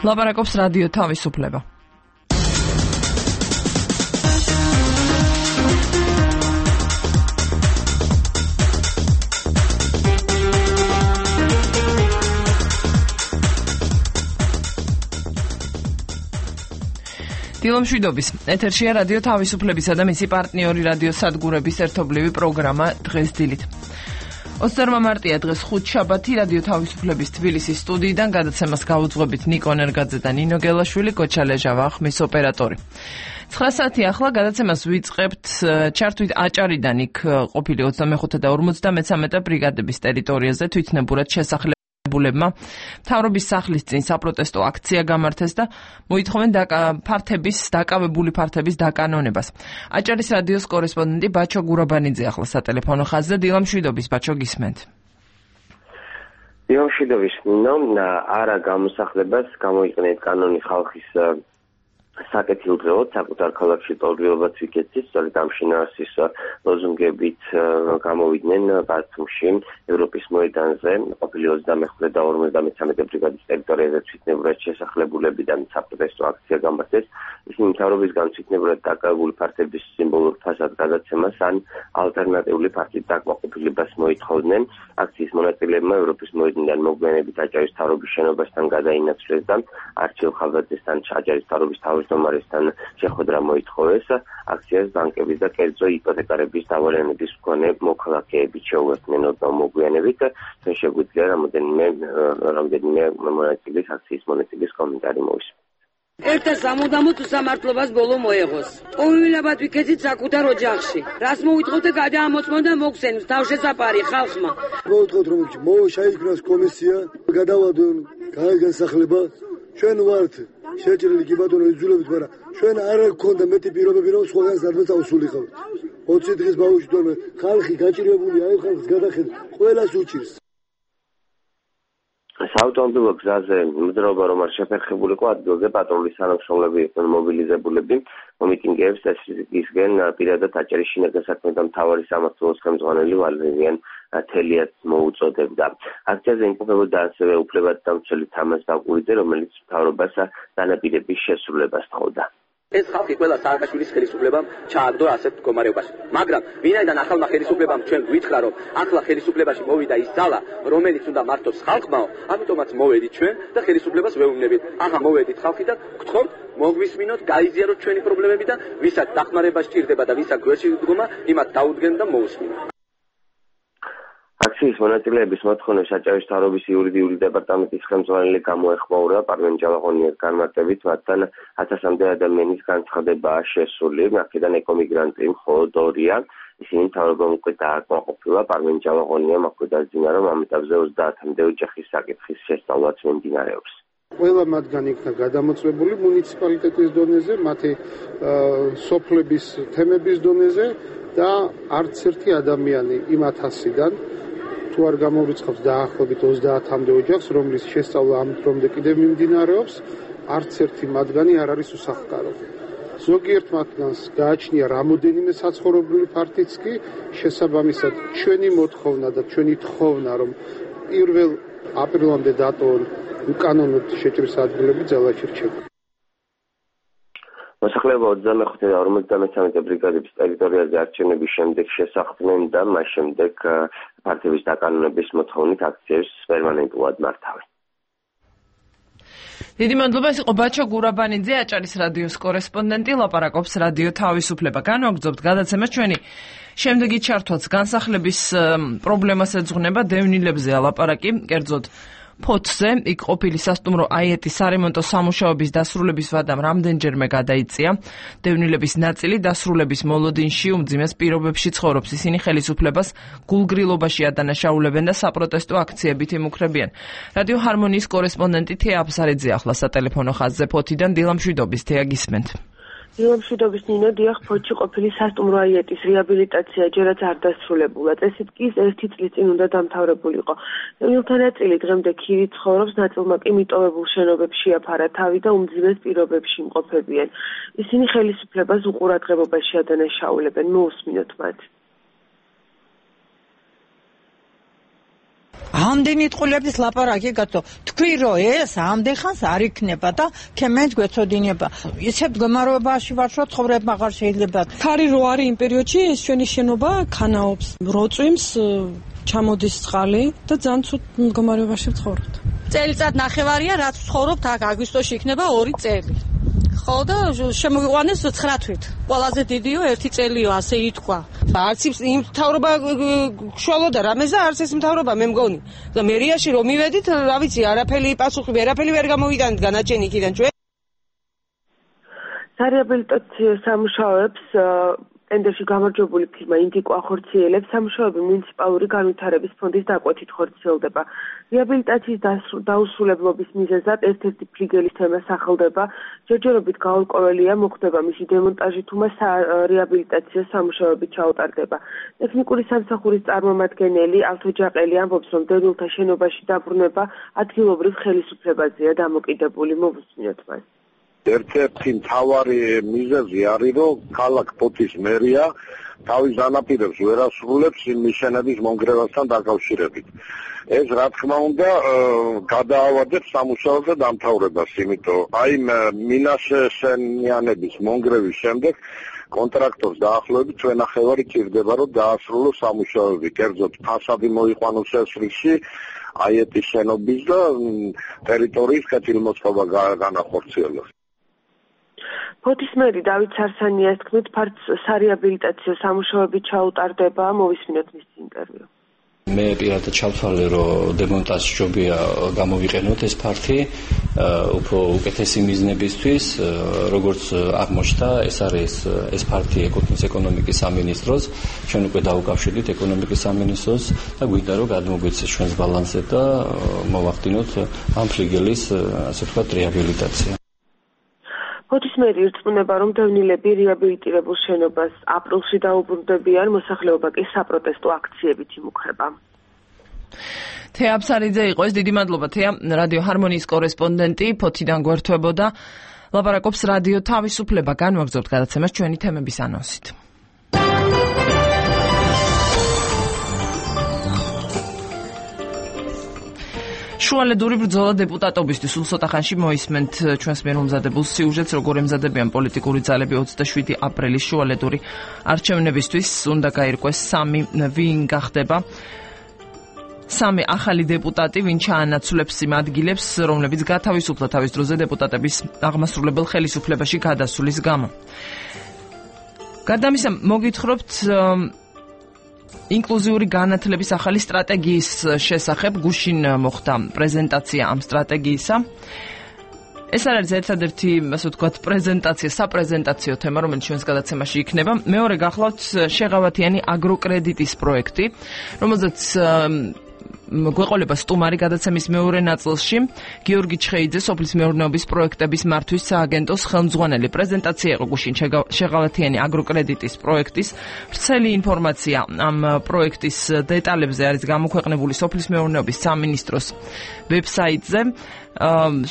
ლაპარაკობს რადიო თავისუფლება. დილომშვიდობის ეთერშია რადიო თავისუფლებისა და მისი პარტნიორი რადიო სადგურების ერთობლივი პროგრამა დღეს დილით. 28 მარტია დღეს ხუთშაბათი რადიო თავისუფლების თბილისის სტუდიიდან გადაცემას გაუძღვებით ნიკო ნერგაძე და ნინო გელაშვილი, კოჩა ლეჟავა ხმის ოპერატორი. 9 საათი ახლა გადაცემას ვიწყებთ ჩართვით აჭარიდან იქ ყოფილი 25 და 53 ბრიგადების ტერიტორიაზე თვითნებურად შესახლებულებმა მთავრობის სახლის წინ საპროტესტო აქცია გამართეს და მოითხოვენ დაკავებული ფართების დაკანონებას. აჭარის რადიოს კორესპონდენტი ბაჩო გურაბანიძე ახლა სატელეფონო ხაზზე. დილამშვიდობის, ბაჩო, გისმენთ. დილამშვიდობის, ნინო. არა გამოსახლებას გამოიყენეთ კანონი ხალხის საკეთილდღეოდ საკუთარ ქალაქში ტოლრიობაც ვიკეთეს, სწორედ ამ შინაარსის ლოზუნგებით გამოვიდნენ ბათუმში ევროპის მოედანზე ყოფილი 25 და 53 ბრიგადის ტერიტორიაზე თვითნებურად შესახლებულებიდან საპროტესტო აქცია გამართეს. ისინი მთავრობისგან თვითნებურად დაკავებული ფართების სიმბოლურ ფასად გადაცემას ან ალტერნატიული ფართით დაკმაყოფილებას მოითხოვდნენ. აქციის მონაწილეებმა ევროპის მოედნიდან მოგვიანებით აჭარის მთავრობის შენობასთან გადაინაცვლეს და არჩილ ხალხაძესთან აჭარის მთავრობის თავმჯდომარესთან შეხვედრა მოითხოვეს. აქციას ბანკების და კერძო იპოთეკარების დავალენების მქონე მოქალაქეებით შეუერთდნენ მოგვიანებით. შეგვიძლია რამდენიმე მონაწილის აქციის მონაწილის კომენტარი მოვისმენთ. Ერთა სამუდამოდ სამართლობას ბოლო მოეღოს. ყოველაბად ვიქეცით საკუთარ ოჯახში. რას მოვითხოვთ და გადაამოწმონ და მოგხსენოთ თავშესაფარი ხალხმა. მოვთხოვთ რომ შეიქმნას კომისია, გადავადონ განსახლება. ჩვენ ვართ შეჭრილი კი ბატონო იძულებით, მაგრამ ჩვენ არ გქონდა მეტი პირობები რომ სხვაგან სადმე წავსულიყავთ. 20 დღის ბავშვი თორმე ხალხი გაჭირებული აი ხალხს გადახედა ყველას უჭირს. საავტომობილო გზაზე მძრაობა რომ არ შეფერხებულიყო ადგილზე პატრულის თანამშრომლები იყვნენ მობილიზებულები. მომიტინგეებს ესისგან პირადად აჭარის შინაგან საქმეთა მთავარი სამმართველოს ხელმძღვანელი ვალერიან თელიაც მოუწოდებდა. აქციაზე იმყოფებოდა ასევე უფლებადდამცველი თამაზ ბაკურიძე, რომელიც მთავრობას განაპირების შესრულებას თხოვდა. ეს ხალხი ყველა სააკაშვილის ხელისუფლებამ ჩააგდო ასეთ მდგომარეობაში. მაგრამ ვინაიდან ახალმა ხელისუფლებამ ჩვენ გვითხრა, რომ ახლა ხელისუფლებაში მოვიდა ის ძალა, რომელიც უნდა მართოს ხალხმაო, ამიტომაც მოვედით ჩვენ და ხელისუფლებას ვეუბნებით. ახლა მოვედით ხალხი და გთხოვთ მოგვისმინოთ, გაიზიაროთ ჩვენი პრობლემები და ვისაც დახმარება სჭირდება და ვისაც გვერდში დგომა, იმათ დაუდგენ და მოусმინოთ. აქციის მონაწილეების მოთხოვნებს აჭარის მთავრობის იურიდიული დეპარტამენტის ხელმძღვანელი გამოეხმაურა. პარმენ ჯავახონიას განმარტებით, მათთან 1000-მდე ადამიანის განცხადებაა შესული. აქედან ეკომიგრანტი მხოლოდ 2-ია. ისინი მთავრობამ უკვე დააკმაყოფილა. პარმენ ჯავახონიამ აქვე დაძინა, რომ ამ ეტაპზე 30-მდე ოჯახის საკითხის შესწავლაც მიმდინარეობს. ყველა მათგანი იქნა გადამოწმებული მუნიციპალიტეტის დონეზე, მათი სოფლების თემების დონეზე და არც ერთი ადამიანი იმ 1000-დან თუ არ გამოვრიცხავს დაახლოებით 30-მდე ოჯახს, რომლის შესწავლა ამ დრომდე კიდევ მიმდინარეობს, არც ერთი მათგანი არ არის უსახლკარო. ზოგიერთ მათგანს გააჩნია რამოდენიმე საცხოვრებელი ფართიც კი, შესაბამისად ჩვენი მოთხოვნა და ჩვენი თხოვნა, რომ 1 აპრილამდე დატოვონ უკანონოდ შეჭრის ადგილები ძალაში რჩება. მოსახლეობა 25 და 53 ბრიგადების ტერიტორიაზე არჩევნების შემდეგ შესახდნენ და მას შემდეგ ფართების დაკანონების მოთხოვნით აქციებს პერმანენტულად მართავენ. დიდი მადლობა, ეს იყო ბაჩო გურაბანიძე, აჭარის რადიოს კორესპონდენტი, ლაპარაკობს რადიო თავისუფლება. განვაგრძობთ გადაცემას, ჩვენი შემდეგი ჩართვაც განსახლების პრობლემას ეძღვნება, დევნილებზე ალაპარაკი, კერძოდ ფოთზე, იქ ყოფილი სასტუმრო აიეტის სარემონტო სამუშაოების დასრულების ვადამ რამდენჯერმე გადაიწია. დევნილების ნაწილი დასრულების მოლოდინში უმძიმეს პირობებში ცხოვრობს. ისინი ხელისუფლებას გულგრილობაში ადანაშაულებენ და საპროტესტო აქციებით იმუქრებიან. რადიო ჰარმონიის კორესპონდენტი თეა აფსარიძე ახლა სატელეფონო ხაზზე ფოთიდან. დილამშვიდობის, თეა, გისმენთ. დილამშვიდობის, ნინო. დიახ, ფოთში ყოფილი სასტუმრო აიეტის რეაბილიტაცია ჯერაც არ დასრულებულა. წესით კი 1 წლის წინ უნდა დამთავრებულიყო. დევნილთა ნაწილი დღემდე ქირით ცხოვრობს, ნაწილმა კი მიტოვებულ შენობებში აფარა თავი და უმძიმეს პირობებში იმყოფებიან. ისინი ხელისუფლებას უყურადღებობაში ადანაშაულებენ. მოусმინოთ მათ. ამდენი წყვილების ლაპარაკი გაწო. თქვი რომ ეს ამდენ ხანს არ იქნება და ქემენს გვეცოდინება. ისეთ მდგომარეობაში ვარ, რომ ცხოვრება აღარ შეიძლება. ქარი რო არის იმ პერიოდში ეს ჩვენი შენობა ქანაობს. როწვიმს ჩამოდის წყალი და ძალიან ცუდ მდგომარეობაში ვცხოვრობთ. წელიწად ნახევარია რაც ვცხოვრობთ აქ აგვისტოში იქნება 2 წელი. ხო და შემოიყვანეს 9 თვით. ყველაზე დიდიო 1 წელიო ასე ითქვა. არც იმ მთავრობა შუალოდა რამეზე არც ეს მთავრობა მე მგონი. და მერიაში რომ მივედით, რა ვიცი, არაფერი პასუხი, ვერაფერი ვერ გამოვიტანეთ განაჩენი იქიდან ჩვენ. სარეაბილიტაციო სამუშაოებს ტენდერში გამარჯვებული ფირმა ინდიკო ახორციელებს. სამუშაოები მუნიციპალური განვითარების ფონდის დაკვეთით ხორციელდება. რეაბილიტაციის დაუსრულებლობის მიზეზად ერთ-ერთი ფლიგელის თემა სახელდება. ჯერჯერობით გაურკვეველია მოხდება მისი დემონტაჟი თუ მას რეაბილიტაციო სამუშაოები ჩაუტარდება. ტექნიკური სამსახურის წარმომადგენელი ავთოჯაყელი ამბობს, რომ დედულთა შენობაში დაბრუნება ადგილობრივ ხელისუფლებაზეა დამოკიდებული. მოვუსმინოთ მას. ერთ-ერთი მთავარი მიზეზი არის, რომ ქალაქ ფოთის მერია თავის განაპირებს ვერ ასრულებს იმ მიშენების მონგრევასთან დაკავშირებით. ეს რა თქმა უნდა გადაავადებს სამუშაოზე დამთავრებას, იმიტომ აი მინაშენიანების მონგრევის შემდეგ კონტრაქტორს დაახლოებით 2.5 ჭირდება, რომ დაასრულოს სამუშაოები. კერძოდ ფასადი მოიყვანოს ესრიგში, აიეტის შენობის და ტერიტორიის კეთილმოწყობა განახორციელოს. ფოთის მერი დავით სარსანიას თქმით, სარეაბილიტაციო სამუშაოები ჩაუტარდება. მოვისმინოთ მის ინტერვიუ. მე პირადად ჩავთვალე, რომ დემონტაჟი ჯობია გამოვიყენოთ ეს ფართი უფრო უკეთესი მიზნებისთვის, როგორც აღმოჩნდა, ეს ფართი ეკუთვნის ეკონომიკის სამინისტროს, ჩვენ უკვე დავუკავშირდით ეკონომიკის სამინისტროს და გვინდა რომ გადმოგვეცეს ჩვენს ბალანსზე და მოვახდინოთ ამ ფლიგელის, ასე ვთქვათ, რეაბილიტაცია. ფოთის მერი ირწმუნება, რომ დევნილები რეაბილიტირებულ შენობას აპრილში დაუბრუნდებიან, მოსახლეობა კი საპროტესტო აქციებით იმუქრება. თეა აბსარიძე იყო ეს, დიდი მადლობა თეა, რადიო ჰარმონიის კორესპონდენტი ფოთიდან გვერდებოდა. ლაპარაკობს რადიო თავისუფლება. განვაგრძობთ გადაცემას ჩვენი თემების ანონსით. შუალედური ბრძოლა დეპუტატობისთვის სულ ხანში მოისმენთ ჩვენს მიერ მომზადებულ სიუჟეტს, როგორ ემზადებიან პოლიტიკური ძალები 27 აპრილის შუალედური არჩევნებისთვის. უნდა გაირკვეს 3 ვინ გახდება 3 ახალი დეპუტატი, ვინ ჩაანაცვლებს იმ ადგილებს, რომლებიც გათავისუფლდა თავის დროზე დეპუტატების აღმასრულებელ ხელისუფლებაში გადასulis გამო. გარდა ამისა, მოგითხრობთ ინკლუზიური განათლების ახალი სტრატეგიის შესახებ. გუშინ მოხდა პრეზენტაცია ამ სტრატეგიისა. ეს არის ერთადერთი, ასე ვთქვათ, საპრეზენტაციო თემა, რომელიც ჩვენს გადაცემაში იქნება. მეორე გახლავთ შეღავათიანი აგროკრედიტის პროექტი, რომელზეც გვეყოლება სტუმარი გადაცემის მეორე ნაწილში. გიორგი ჩხეიძე, სოფლის მეურნეობის პროექტების მართვის სააგენტოს ხელმძღვანელი. პრეზენტაცია იყო გუშინ შეღავათიანი აგროკრედიტის პროექტის. ვრცელი ინფორმაცია ამ პროექტის დეტალებზე არის გამოქვეყნებული სოფლის მეურნეობის სამინისტროს ვებსაიტზე.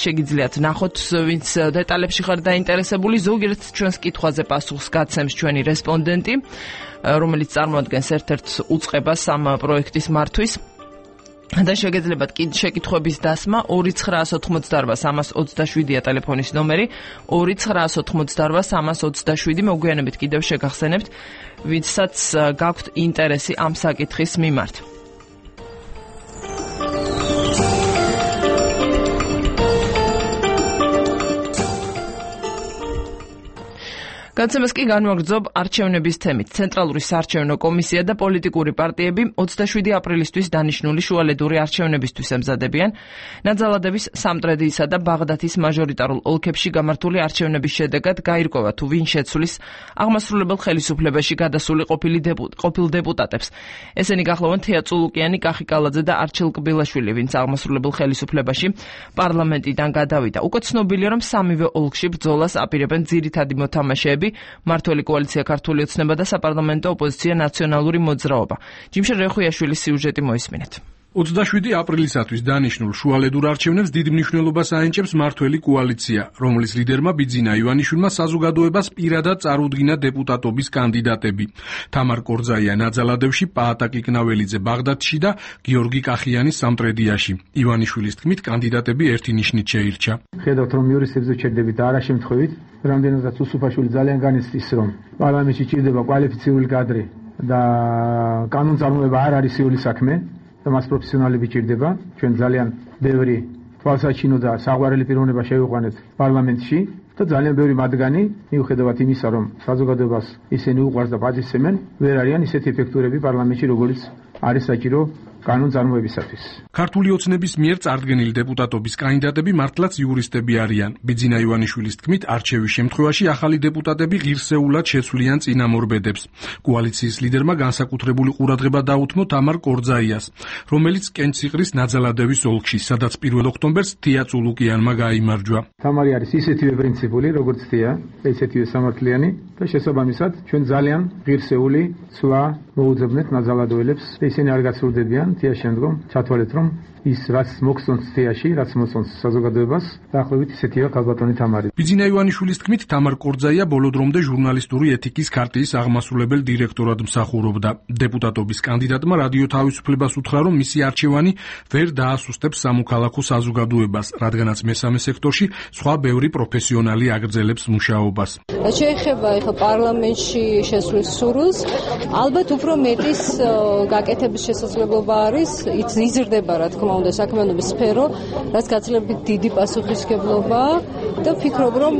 შეგიძლიათ ნახოთ, ვინც დეტალებში ხარ დაინტერესებული. ზოგიერთ ჩვენს კითხვაზე პასუხს გაცემს ჩვენი რესპონდენტი, რომელიც წარმოადგენს ერთ-ერთ უწყებას ამ პროექტის მართვის. და შეგეძლებათ შეკითხვების დასმა 2988327-ია ტელეფონის ნომერი 2988327 მოგვიანებით კიდევ შეგახსენებთ, ვინცაც გაქვთ ინტერესი ამ საკითხის მიმართ. გადაცემას კი განვაგრძობ არჩევნების თემით. ცენტრალური საარჩევნო კომისია და პოლიტიკური პარტიები 27 აპრილისთვის დანიშნული შუალედური არჩევნებისთვის ემზადებიან. ნაძალადების, სამტრედიისა და ბაღდათის მაჟორიტარულ ოლქებში გამართული არჩევნების შედეგად გაირკვევა თუ ვინ შეცვლის აღმასრულებელ ხელისუფლებაში გადასული ყოფილ დეპუტატებს. ესენი გახლავენ თეა წულუკიანი, კახი კალაძე და არჩილ კბილაშვილი, ვინც აღმასრულებელ ხელისუფლებაში პარლამენტიდან გადავიდა. უკვე ცნობილია, რომ სამივე ოლქში ბრძოლას აპირებენ ძირითადი მოთამაშეები, მართველი კოალიცია ქართული ოცნება და საპარლამენტო ოპოზიცია ნაციონალური მოძრაობა. ჯიმშე რეხუიაშვილის სიუჟეტი მოისმინეთ. 27 აპრილისათვის დანიშნულ შუალედურ არჩევნებს დიდ მნიშვნელობას აენჭებს მართველი კოალიცია, რომლის ლიდერმა ბიძინა ივანიშვილმა საზოგადოებას პირადად წარუდგინა დეპუტატობის კანდიდატები. თამარ კორძაია ნაძალადევში, პაატა კიკნაველიძე ბაღდადში და გიორგი კახიანი სამტრედიაში. ივანიშვილის თქმით, კანდიდატები ერთი ნიშნით შეირჩა. ხედავთ, რომ იურისტებზე ჩერდებით და არა შემთხვევით, რამდენადაც უსუფაშვილი ძალიან განიცდის, რომ პარლამენტში ჭირდება კვალიფიცირებული კადრი და კანონწარმოება არ არის სრული საქმე. და მას პროფესიონალები ჭირდება. ჩვენ ძალიან ბევრი თვალსაჩინო და საყვარელი პიროვნება შევიყვანეთ პარლამენტში და ძალიან ბევრი მათგანი, მიუხედავად იმისა, რომ საზოგადოებას ისინი უყვარს და პატივცემენ, ვერ არიან ისეთი ეფექტურები პარლამენტში, როგორც არის საჭირო კანონწარმოებისათვის. ქართული ოცნების მიერ წარდგენილი დეპუტატობის კანდიდატები მართლაც იურისტები არიან. ბიძინა ივანიშვილის თქმით, არჩევის შემთხვევაში ახალი დეპუტატები ღირსეულად შეცვლიან წინამორბედებს. კოალიციის ლიდერმა განსაკუთრებული ყურადღება დაუთმო თამარ კორძაიას, რომელიც კენციყრის ნაძალადევის ოლქში, სადაც 1 ოქტომბერს თია წულუკიანმა გაიმარჯვა. თამარი არის ისეთივე პრინციპული, როგორც თია, ისეთივე სამართლიანი და შესაბამისად ჩვენ ძალიან ღირსეული ცვლა მოუძებნეთ ნაძალადოელებს. ისინი არ გაცვლდებიან თია შემდგომ, ჩათვალეთ, რომ ის რაც მოგწონს თიაში, რაც მოსწონს საზოგადოებას, დაახლოებით ისეთია ქალბატონი თამარი. ბიძინა ივანიშვილის თქმით, თამარ კორძაია ბოლო დრომდე ჟურნალისტური ეთიკის ქარტიის აღმასრულებელ დირექტორად მსახურობდა. დეპუტატობის კანდიდატმა რადიო თავისუფლებას უთხრა, რომ მისი არჩევანი ვერ დაასუსტებს სამოქალაქო საზოგადოებას, რადგანაც მესამე სექტორში სხვა ბევრი პროფესიონალი აგრძელებს მუშაობას. შეეხება ახლა პარლამენტში შესვლის სურვილს, ალბათ უფრო მეტის გაკეთების შესაძლებლობა არის, იზრდება რა თქმა უნდა საქმიანობის სფერო, რაც გაცილებით დიდი პასუხისმგებლობა და ვფიქრობ, რომ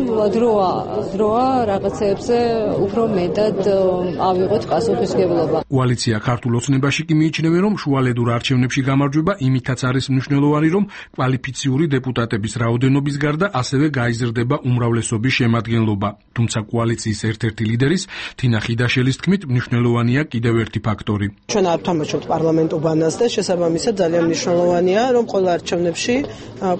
დროა რაღაცეებზე უფრო მეტად ავიღოთ პასუხისმგებლობა. კოალიცია ქართულ ოცნებაში კი მიიჩნევენ, რომ შუალედურ არჩევნებში გამარჯვება იმითაც არის მნიშვნელოვანი, რომ კვალიფიციური დეპუტატების რაოდენობის გარდა ასევე გაიზრდება უმრავლესობის შემადგენლობა. თუმცა კოალიციის ერთ-ერთი ლიდერის თინა ხიდაშელის თქმით, მნიშვნელოვანია კიდევ ერთი ფაქტორი. ჩვენ არ ვთამაშობთ პარლამენტურ ბანას და შესაბამისად ძალიან მნიშვნელოვანია, რომ ყველა არჩევნებში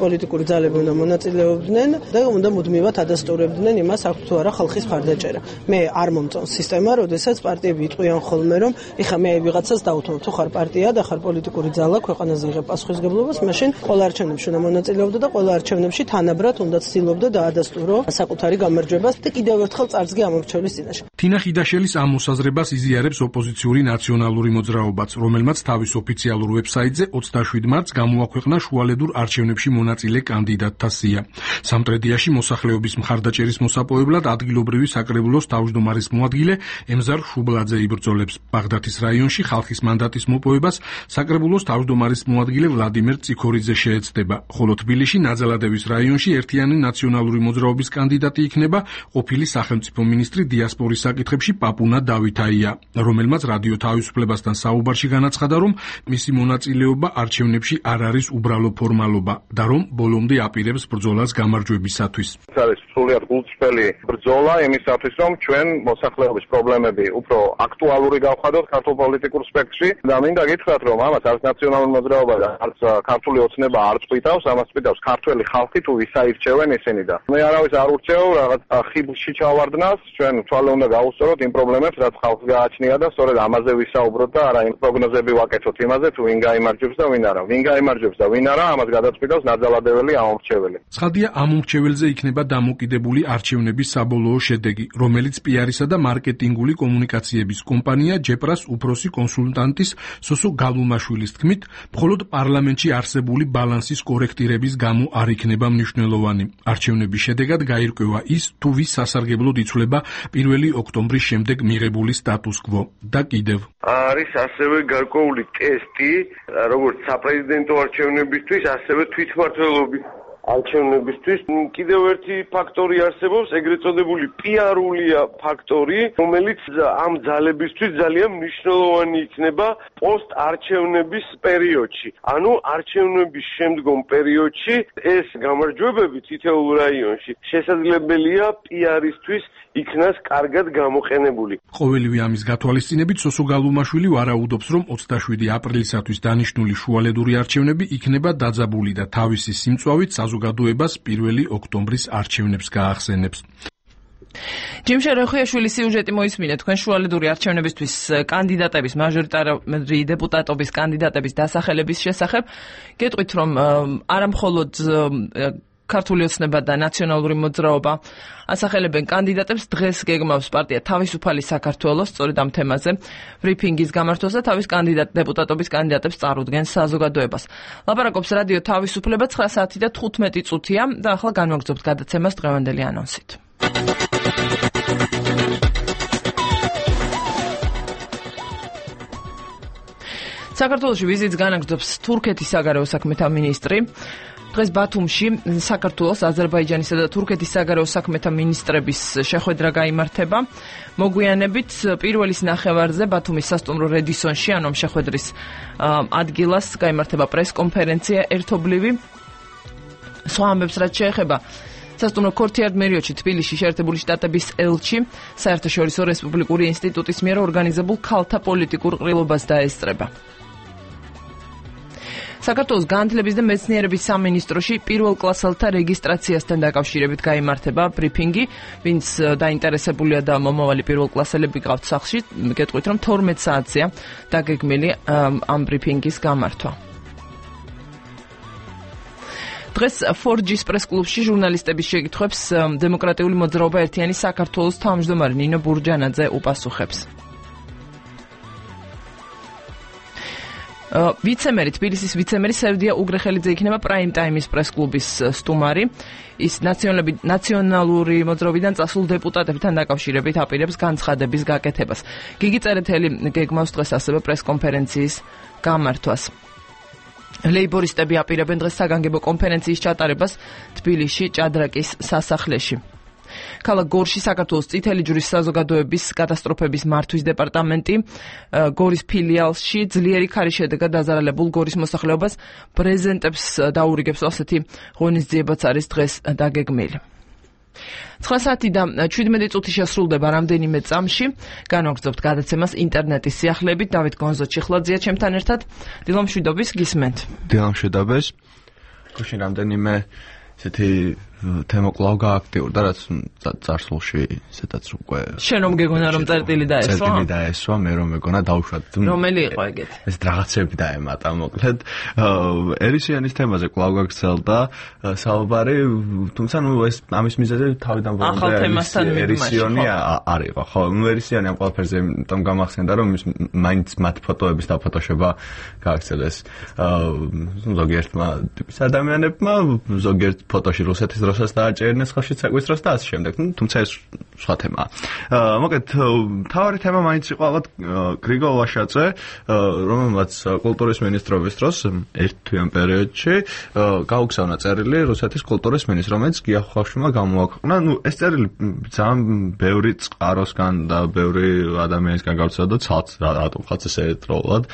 პოლიტიკური ძალები უნდა მონაწილეობდნენ და უნდა მუდმივად ადასტურებდნენ იმას, აქვს თუ არა ხალხის მხარდაჭერა. მე არ მომწონს სისტემა, როდესაც პარტიები იტყვიან ხოლმე, რომ ეხა მე ვიღაცას დავუთმობ, თუ ხარ პარტია და ხარ პოლიტიკური ძალა, ქვეყანაზე იღებ პასუხისმგებლობას, მაშინ ყველა არჩევნებში უნდა მონაწილეობდა და ყველა არჩევნებში თანაბრად უნდა ცდილობდა დაადასტურო საკუთარი გამარჯვებას და კიდევ ერთხელ წარსდგე ამორჩევლის წინაშე. თინა ხიდაშელის ამ მოსაზრებას იზიარებს ოპოზიციური ნაციონალური მოძრაობაც, რომელმაც თავის ოფიციალურ ვებსაიტზე 27 მარტს გამოაქვეყნა შუალედურ არჩევნებში მონაწილე კანდიდატთა სია. სამტრედიაში მოსახლეობის მხარდაჭერის მოსაპოვებლად ადგილობრივი საკრებულოს თავმჯდომარის მოადგილე ემზარ შუბლაძე იბრძოლებს. ბაღდათის რაიონში ხალხის მანდატის მოპოვებას საკრებულოს თავმჯდომარის მოადგილე ვლადიმერ წიქორიძე შეეცდება, ხოლო თბილისში ნაძალადევის რაიონში ერთიანი ნაციონალური მოძრაობის კანდიდატი იქნება ყოფილი სახელმწიფო მინისტრი დიასპორის საკითხებში პაპუნა დავითაია, რომელმაც რადიო თავისუფლებასთან საუბარში განაცხადა, რომ მისი მონაწილეობა არჩევნებში არ არის უბრალო ფორმალობა და რომ ბოლომდე აპირებს ბრძოლას გამარჯვებისათვის. ეს არის სრულიად გულწრფელი ბრძოლა იმისათვის, რომ ჩვენ მოსახლეობის პრობლემები უფრო აქტუალური გავხადოთ ქართულ პოლიტიკურ სპექტრში და მინდა გითხრათ, რომ ამას არც ნაციონალური მოძრაობა და არც ქართული ოცნება არ წვითავს, ამას წვითავს ქართველი ხალხი, თუ ვისაირჩევენ ისინი და მე არავის არ ურჩევ რაღაც ხიბლში ჩავარდნას, ჩვენ თვალე უნდა გავუსწოროთ იმ პრობლემებს, რაც ხალხს გააჩნია და სწორედ ამაზე ვისაუბროთ და არა იმ პროგნოზები ვაკეთოთ იმაზე, თუ ვინ გაიმარჯვებს და ვინ არა. ვინ გაიმარჯვებს და ვინ არა, ამას გადაწყვიტავს ნაძალადეველი ამომრჩეველი. ცხადია, ამომრჩეველზე იქნება დამოკიდებული არჩევნების საბოლოო შედეგი, რომელიც PR-ისა და მარკეტინგული კომუნიკაციების კომპანია ჯეპრას უფროსი კონსულტანტის სოსო გალუმაშვილის თქმით, მხოლოდ პარლამენტში არსებული ბალანსის კორექტირების გამო არ იქნება მნიშვნელოვანი. არჩევნების შედეგად გაირკვევა ის, თუ ვის სასარგებლოდ იცვლება 1 ოქტომბრის შემდეგ მიღებული სტატუს კვო და კიდევ არის ასევე გარკვეული ტესტი, როგორც საპრეზიდენტო არჩევნებისთვის, ასევე თვითმმართველობის არჩევნებისთვის. კიდევ ერთი ფაქტორი არსებობს, ეგრეთ წოდებული PR-ულია ფაქტორი, რომელიც ამ ძალებისთვის ძალიან მნიშვნელოვანი იქნება პოსტ-არჩევნების პერიოდში. ანუ არჩევნების შემდგომ პერიოდში ეს გამარჯვებები თითოეულ რაიონში შესაძლებელია PR-ისთვის იქნას კარგად გამოყენებული. ყოველივე ამის გათვალისწინებით სოსო გალუმაშვილი ვარაუდობს, რომ 27 აპრილისათვის დანიშნული შუალედური არჩევნები იქნება დაძაბული და თავისი სიმწვავით საზოგადოებას 1 ოქტომბრის არჩევნებს გაახსენებს. ჯიმ შერეხუიაშვილის სიუჟეტი მოისმინეთ თქვენ შუალედური არჩევნებისთვის კანდიდატების მაჟორიტარული დეპუტატობის კანდიდატების დასახელების შესახებ. გეტყვით რომ არა მხოლოდ ქართული ოცნება და ნაციონალური მოძრაობა ასახელებენ კანდიდატებს, დღეს გეგმავს პარტია თავისუფალი საქართველოს სწორედ ამ თემაზე ბრიფინგის გამართვას და თავის დეპუტატობის კანდიდატებს წარუდგენს საზოგადოებას. ლაპარაკობს რადიო თავისუფლება 9 საათი და 15 წუთია და ახლა განვაგრძობთ გადაცემას დღევანდელი ანონსით. საქართველოში ვიზიტს განაგრძობს თურქეთის საგარეო საქმეთა მინისტრი. დღეს ბათუმში საქართველოს, აზერბაიჯანისა და თურქეთის საგარეო საქმეთა მინისტრების შეხვედრა გაიმართება. მოგვიანებით პირველის ნახევარზე ბათუმის სასტუმრო რედისონში, ანუ შეხვედრის ადგილას გაიმართება პრესკონფერენცია ერთობლივი. სხვა ამბებს რაც შეეხება სასტუმრო ქორთიარდ მერიოჩი თბილისში შეერთებული შტატების ელჩი საერთაშორისო რესპუბლიკური ინსტიტუტის მიერ ორგანიზებულ ქალთა პოლიტიკურ ყრილობას დაესწრება. საქართველოს განათლების და მეცნიერების სამინისტროში პირველ კლასელთა რეგისტრაციასთან დაკავშირებით გაიმართება ბრიფინგი, ვინც დაინტერესებულია და მომავალი პირველ კლასელები გყავთ სახლში, გეტყვით რომ 12 საათზეა დაგეგმილი ამ ბრიფინგის გამართვა. დღეს 4G-ს პრესკლუბში ჟურნალისტების შეკითხვებს დემოკრატიული მოძრაობა ერთიანი საქართველოს თავმჯდომარე ნინო ბურჯანაძე უპასუხებს. თბილისის ვიცემერი სევდია უგრეხელიძე იქნება პრაიმ ტაიმის პრესკლუბის სტუმარი. ის ნაციონალური მოძრაობიდან წასულ დეპუტატებთან დაკავშირებით აპირებს განცხადების გაკეთებას. გიგი წერეთელი გეგმავს დღეს ასევე პრესკონფერენციის გამართვას. ლეიბორისტები აპირებენ დღეს საგანგებო კონფერენციის ჩატარებას თბილისში ჭადრაკის სასახლეში. ქალაქ გორში საქართველოს წითელი ჯვრის საზოგადოების კატასტროფების მართვის დეპარტამენტი გორის ფილიალში ძლიერი ქარის შედეგად დაზარალებულ გორის მოსახლეობას ბრეზენტებს დაურიგებს, ასეთი ღონისძიებაც არის დღეს დაგეგმილი. 9 საათი და 17 წუთი შესრულდება რამდენიმე წამში. განვაგრძობთ გადაცემას ინტერნეტის სიახლეებით. დავით გონზო-ჩიხლაძეა ჩემთან ერთად. დილამშვიდობის გისმენთ. დილამშვიდობის. გუშინ რამდენიმე ესეთი თემა კვლავ გააქტიურდა, რაც წარსულში ესეთაც უკვე შენ რომ გეგონა რომ წერტილი დაესვა? წერტილი დაესვა, მე რომ მეგონა დავუშვათ. რომელი იყო ეგეთ? ეს რაღაცები დაემატა, მოკლედ. ერისიანის თემაზე კვლავ გაგრძელდა საუბარი, თუმცა ნუ ეს ამის მიზეზი თავიდან ბოლომდე ერისიონი არ იყო. ხო, ნუ ერისიანი ამ ყველაფერზე იმიტომ გამახსენდა, რომ მაინც მათ ფოტოების დაფოტოშება გააგრძელეს ზოგიერთმა ტიპის ადამიანებმა, ზოგიერთ ფოტოში რუსეთის დროსაც დააჭერინეს ხალხში წაგვისწროს და ასე შემდეგ. თუმცა ეს სხვა თემაა. მოკლედ, თავარი თემა მაინც იყო ალბათ გრიგოლ ვაშაძე, რომელმაც კულტურის მინისტრობის დროს ერთ თვიან პერიოდში გაუგზავნა წერილი რუსეთის კულტურის მინისტრს, რომელიც გიახუხაშვილმა გამოაქვეყნა. ეს წერილი ძალიან ბევრი წყაროსგან და ბევრი ადამიანისგან გავრცელდა, ცალთ რატომ ხაც ესე ერთდროულად.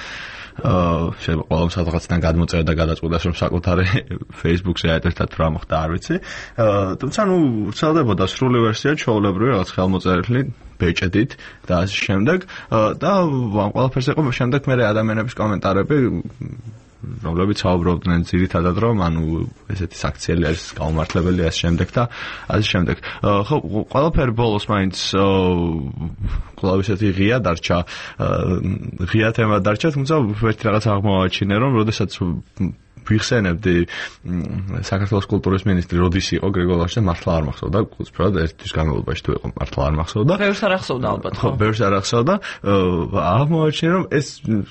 შეიძლება ყველამ სადღაციდან გადმოწერა და გადაწყვიტეს რომ საკუთარი Facebook-ზე აერთებთ რა მოხდა არ ვიცი. თუმცა ნუ ვრცელდებოდა სრული ვერსია ჩვეულებრივი რაღაც ხელმოწერილი ბეჭედით და ასე შემდეგ და ამ ყველაფერს იყო შემდეგ მე ადამიანების კომენტარები რომლებიც საუბრობდნენ ძირითადად რომ ანუ ესეთი საქციელი არის გაუმართლებელი ასე შემდეგ და ასე შემდეგ. ხო ყველაფერი ბოლოს მაინც კვლავ ესეთი ღია დარჩა, ღია თემა დარჩა, თუმცა ერთი რაღაც აღმოვაჩინე რომ როდესაც ვიხსენებდი საქართველოს კულტურის მინისტრი როდის იყო გრიგოლ ვაშაძე მართლა არ მახსოვდა, უცბად ერთის განმავლობაში თუ იყო მართლა არ მახსოვდა. ბევრს არ ახსოვდა ალბათ. ხო, ბევრს არ ახსოვდა. აღმოვაჩინე რომ ეს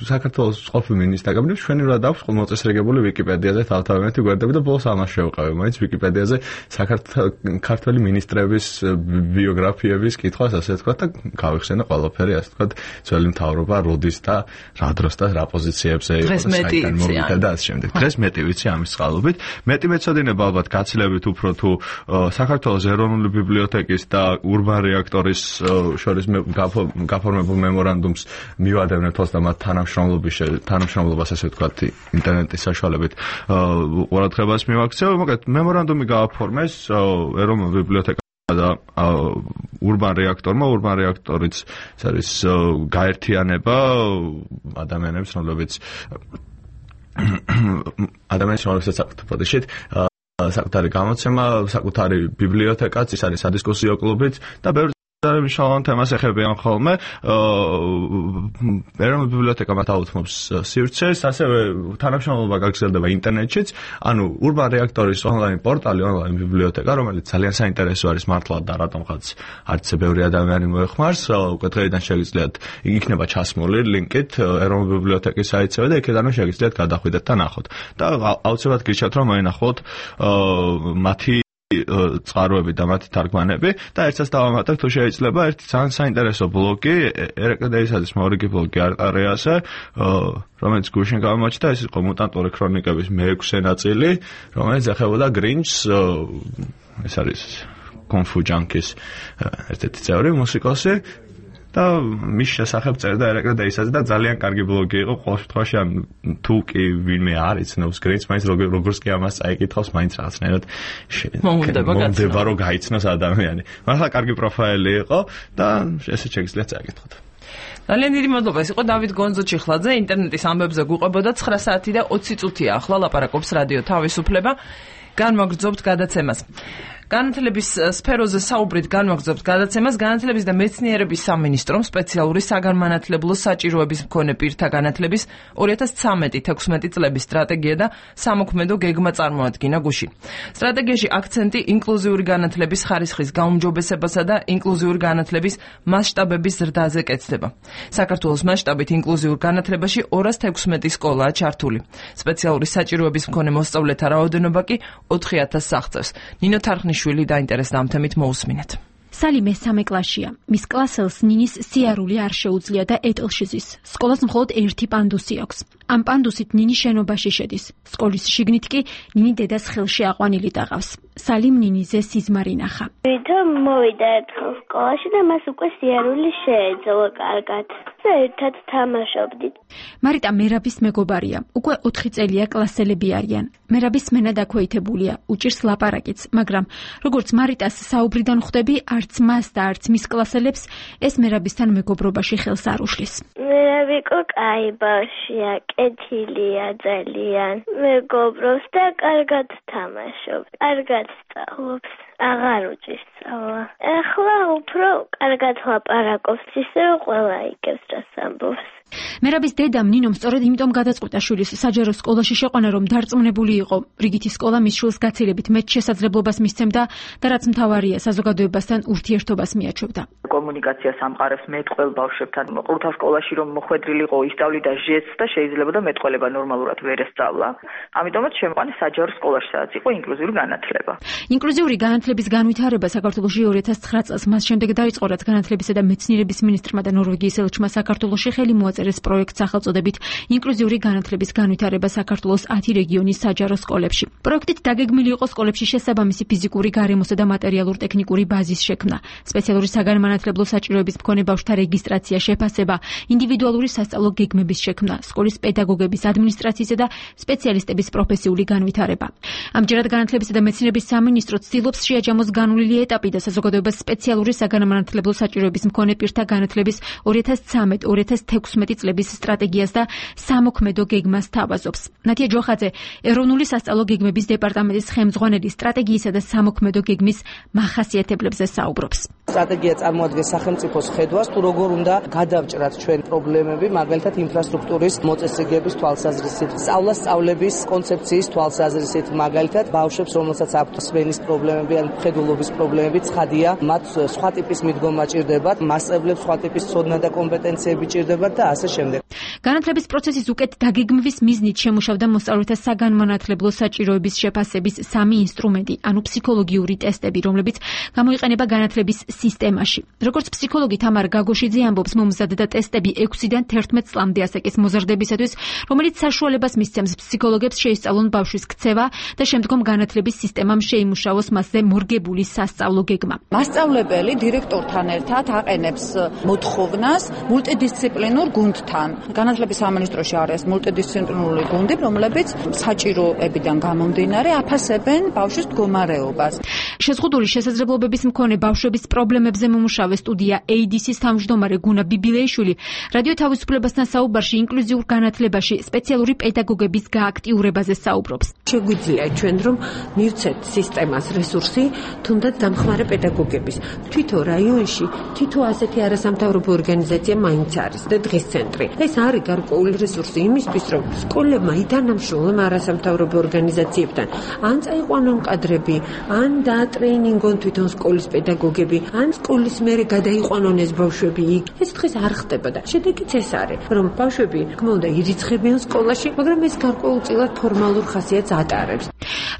საქართველოს ყოფილი მინისტრის დაკავშირებით ჩვენივრად აქვს მოწესრიგებული ვიკიპედიაზე თავთავიანეთი გვერდები და ბოლოს ამას შევყავი. მაინც ვიკიპედიაზე ქართველი მინისტრების ბიოგრაფიების კითხვას ასე თქვა და გავიხსენე ყველაფერი ასე თქვა ძველი მთავრობა როდის და რა დროს და რა პოზიციებზე იყო საიდან მოვიდა და ასე შემდეგ. დღეს მეტი ვიცი ამის წყალობით. მეტი მეცოდინება ალბათ გაცილებით უფრო თუ საქართველოს ეროვნული ბიბლიოთეკის და ურბან რეაქტორის შორის გაფორმებულ მემორანდუმს მივადევნებთ და მათ თანამშრომლობას ასე ვთქვათ ინტერნეტის საშუალებით ყურადღებას მივაქცევ. მოკლედ მემორანდუმი გააფორმეს ეროვნულ ბიბლიოთეკას და ურბან რეაქტორიც არის გაერთიანება ადამიანებს რომლებიც ადამიანებსაც საფრთხით საკუთარი გამოცემა, საკუთარი ბიბლიოთეკაც, ის არის სადისკუსიო კლუბიც და ბევრი მნიშვნელოვან თემას ეხებიან ხოლმე. ეროვნული ბიბლიოთეკა მათ აუთმობს სივრცეს, ასევე თანამშრომლობა გაგრძელდება ინტერნეტშიც, ანუ Urban Reactor-ის ონლაინ პორტალი, ონლაინ ბიბლიოთეკა, რომელიც ძალიან საინტერესო არის მართლა და რატომღაც არც ბევრი ადამიანი მოეხმარს, უკვე დღეიდან შეგიძლიათ იქნება ჩასმული ლინკით ეროვნული ბიბლიოთეკის საიტზე და იქედანვე შეგიძლიათ გადახვიდეთ და ნახოთ. და აუცილებლად გირჩევთ რომ მოინახოთ მათი წყაროები და მათი თარგმანები და ერთსაც დავამატებ თუ შეიძლება ერთი ძალიან საინტერესო ბლოგი ერეკლედეისაძის მორიგი ბლოგი არტარეაზე რომელიც გუშინ გამოჩნდა ეს იყო მუტანტური ქრონიკების მე-6 ნაწილი რომელიც ეხებოდა გრინჩს ეს არის კონფუ ჯანკის ერთ-ერთი წევრი მუსიკოსი და მის შესახებ წერდა ერეკლედეისაძე და ძალიან კარგი ბლოგი იყო ყოველ შემთხვევაში ან თუ კი ვინმე არ იცნობს გრინჩს მაინც როგორც კი ამას წაიკითხავს მაინც რაღაცნაირად მომდება რომ გაიცნოს ადამიანი მართლა კარგი პროფაილი იყო და ესეც შეგიძლიათ წაიკითხოთ ძალიან დიდი მადლობა ეს იყო დავით გონძოჩიხლაძე ინტერნეტის ამბებზე გვიყვებოდა 9 საათი და 20 წუთია ახლა ლაპარაკობს რადიო თავისუფლება განვაგრძობთ გადაცემას განათლების სფეროზე საუბრით განვაგრძობთ გადაცემას განათლების და მეცნიერების სამინისტრომ სპეციალური საგანმანათლებლო საჭიროების მქონე პირთა განათლების 2013-16 წლების სტრატეგია და სამოქმედო გეგმა წარმოადგინა გუშინ. სტრატეგიაში აქცენტი ინკლუზიური განათლების ხარისხის გაუმჯობესებასა და ინკლუზიური განათლების მასშტაბების ზრდაზე კეთდება. საქართველოს მასშტაბით ინკლუზიურ განათლებაში 216 სკოლაა ჩართული. სპეციალური საჭიროების მქონე მოსწავლეთა რაოდენობა კი 4000 აღწევს. ნინო თარხნიშვილი დაინტერესდა ამ თემით მოусმინეთ. სალიმე 3 კლასშია. მის კლასელს ნინის სიარული არ შეუძლია და ეტლში ზის. სკოლას მხოლოდ ერთი პანდუსი აქვს. ამ პანდუსით ნინი შენობაში შედის. სკოლის შიგნით კი ნინი დედას ხელში აყვანილი დაღავს. სალიმ ნინიზე სიზმარი ნახა. თვითონ მოვიდა ერთხელ სკოლაში და მას უკვე სიარული შეეძლო კარგად. ერთად თამაშობდით. მარიტა მერაბის მეგობარია. უკვე 4 წელია კლასელები არიან. მერაბის სმენა დაქვეითებულია, უჭირს ლაპარაკიც, მაგრამ როგორც მარიტას საუბრიდან ხვდები, არც მას და არც მის კლასელებს ეს მერაბისთან მეგობრობაში ხელს არ უშლის. მერაბი კაი ბავშვია, კეთილია ძალიან. მეგობრობს და კარგად თამაშობს, კარგად სწავლობს. აღარ უჭირს სწავლა. ახლა უფრო კარგად ლაპარაკობს, ისე ყველა იგებს რას ამბობს. მერაბის დედამ ნინომ სწორედ იმიტომ გადაწყვიტა შვილის საჯარო სკოლაში შეყვანა, რომ დარწმუნებული იყო, რიგითი სკოლა მის შვილს გაცილებით მეტ შესაძლებლობას მისცემდა და რაც მთავარია, საზოგადოებასთან ურთიერთობას მიაჩვევდა. კომუნიკაციას ამყარებს მეტყველ ბავშვებთან. ყრუთა სკოლაში რომ მოხვედრილიყო, ისწავლიდა ჟესტს და შეიძლება და მეტყველება ნორმალურად ვერ ესწავლა. ამიტომაც შემოყვანეს საჯარო სკოლაში, სადაც იყო ინკლუზიური განათლება. ინკლუზიური განათლების განვითარება საქართველოში 2009 წელს მას შემდეგ დაიწყო, რაც განათლებისა და მეცნიერების მინისტრმა და ნორვეგიის ელჩმა საქართველოში ხელი მოაწერეს პროექტს სახელწოდებით ინკლუზიური განათლების განვითარება საქართველოს 10 რეგიონის საჯარო სკოლებში. პროექტით დაგეგმილი იყო სკოლებში შესაბამისი ფიზიკური, გარემოსა და მატერიალურ-ტექნიკური ბაზის შექმნა, სპეციალური საგანმანათლებლო საჭიროების მქონე ბავშვთა რეგისტრაცია, შეფასება, ინდივიდუალური სასწავლო გეგმების შექმნა, სკოლის პედაგოგების, ადმინისტრაციისა და სპეციალისტების პროფესიული განვითარება. ამჯერად განათლებისა და მეცნიერების სამინისტრო ცდილობს შეაჯამოს განვლილი ეტაპი და საზოგადოებას სპეციალური საგანმანათლებლო საჭიროების მქონე პირთა განათლების 2013-2016 წლების სტრატეგიას და სამოქმედო გეგმას თავაზობს. ნათია ჯოხაძე, ეროვნული სასწავლო გეგმების დეპარტამენტის ხელმძღვანელი, სტრატეგიისა და სამოქმედო გეგმის მახასიათებლებზე საუბრობს. სტრატეგია წარმოადგენს სახელმწიფოს ხედვას, თუ როგორ უნდა გადავჭრათ ჩვენ პრობლემები, მაგალითად ინფრასტრუქტურის მოწესრიგების თვალსაზრისით, სწავლების კონცეფციის თვალსაზრისით, მაგალითად ბავშვებს, რომელსაც აქვთ სმენის პრობლემები ან მხედველობის პრობლემები, ცხადია, მათ სხვა ტიპის მიდგომა ჭირდებათ, მასწავლებლებს სხვა ტიპის ცოდნა და კომპეტენციები ჭირდებათ და ასე შემდეგ. განათლების პროცესის უკეთ დაგეგმვის მიზნით შემუშავდა მოსწავლეთა საგანმანათლებლო საჭიროების შეფასების 3 ინსტრუმენტი, ანუ ფსიქოლოგიური ტესტები, რომლებიც გამოიყენება განათლების სისტემაში. როგორც ფსიქოლოგი თამარ გაგოშიძე ამბობს, მომზადდა ტესტები 6-დან 11 წლამდე ასაკის მოზრდებისათვის, რომელიც საშუალებას მისცემს ფსიქოლოგებს შეისწავლონ ბავშვის ქცევა და შემდგომ განათლების სისტემამ შეიმუშაოს მასზე მორგებული სასწავლო გეგმა. მასწავლებელი დირექტორთან ერთად აყენებს მოთხოვნას მულტიდისციპლინურ გუნდთან. განათლების სამინისტროში არის მულტიდისციპლინარული გუნდი, რომლებიც საჭიროებიდან გამომდინარე აფასებენ ბავშვის მდგომარეობას. შეზღუდული შესაძლებლობების მქონე ბავშვების პრობლემებზე მომუშავე სტუდია ADC-ის თავმჯდომარე გუნა ბიბილეიშვილი რადიო თავისუფლებასთან საუბარში ინკლუზიურ განათლებაში სპეციალური პედაგოგების გააქტიურებაზე საუბრობს. შეგვიძლია ჩვენ რომ მივცეთ სისტემას რესურსი, თუნდაც დამხმარე პედაგოგების. თვითო რაიონში თითო ასეთი არასამთავრობო ორგანიზაცია მაინც არის და დღის ცენტრი. ეს არის გარკვეული რესურსი იმისთვის, რომ სკოლებმა ითანამშრომლონ არასამთავრობო ორგანიზაციებთან. ან წაიყვანონ კადრები, ან დაატრეინინგონ თვითონ სკოლის პედაგოგები, ან სკოლის მერე გადაიყვანონ ეს ბავშვები იქ. ეს დღეს არ ხდება და შედეგიც ეს არის, რომ ბავშვები თქმა უნდა ირიცხებიან სკოლაში, მაგრამ ეს გარკვეულწილად ფორმალურ ხასიათს ატარებს.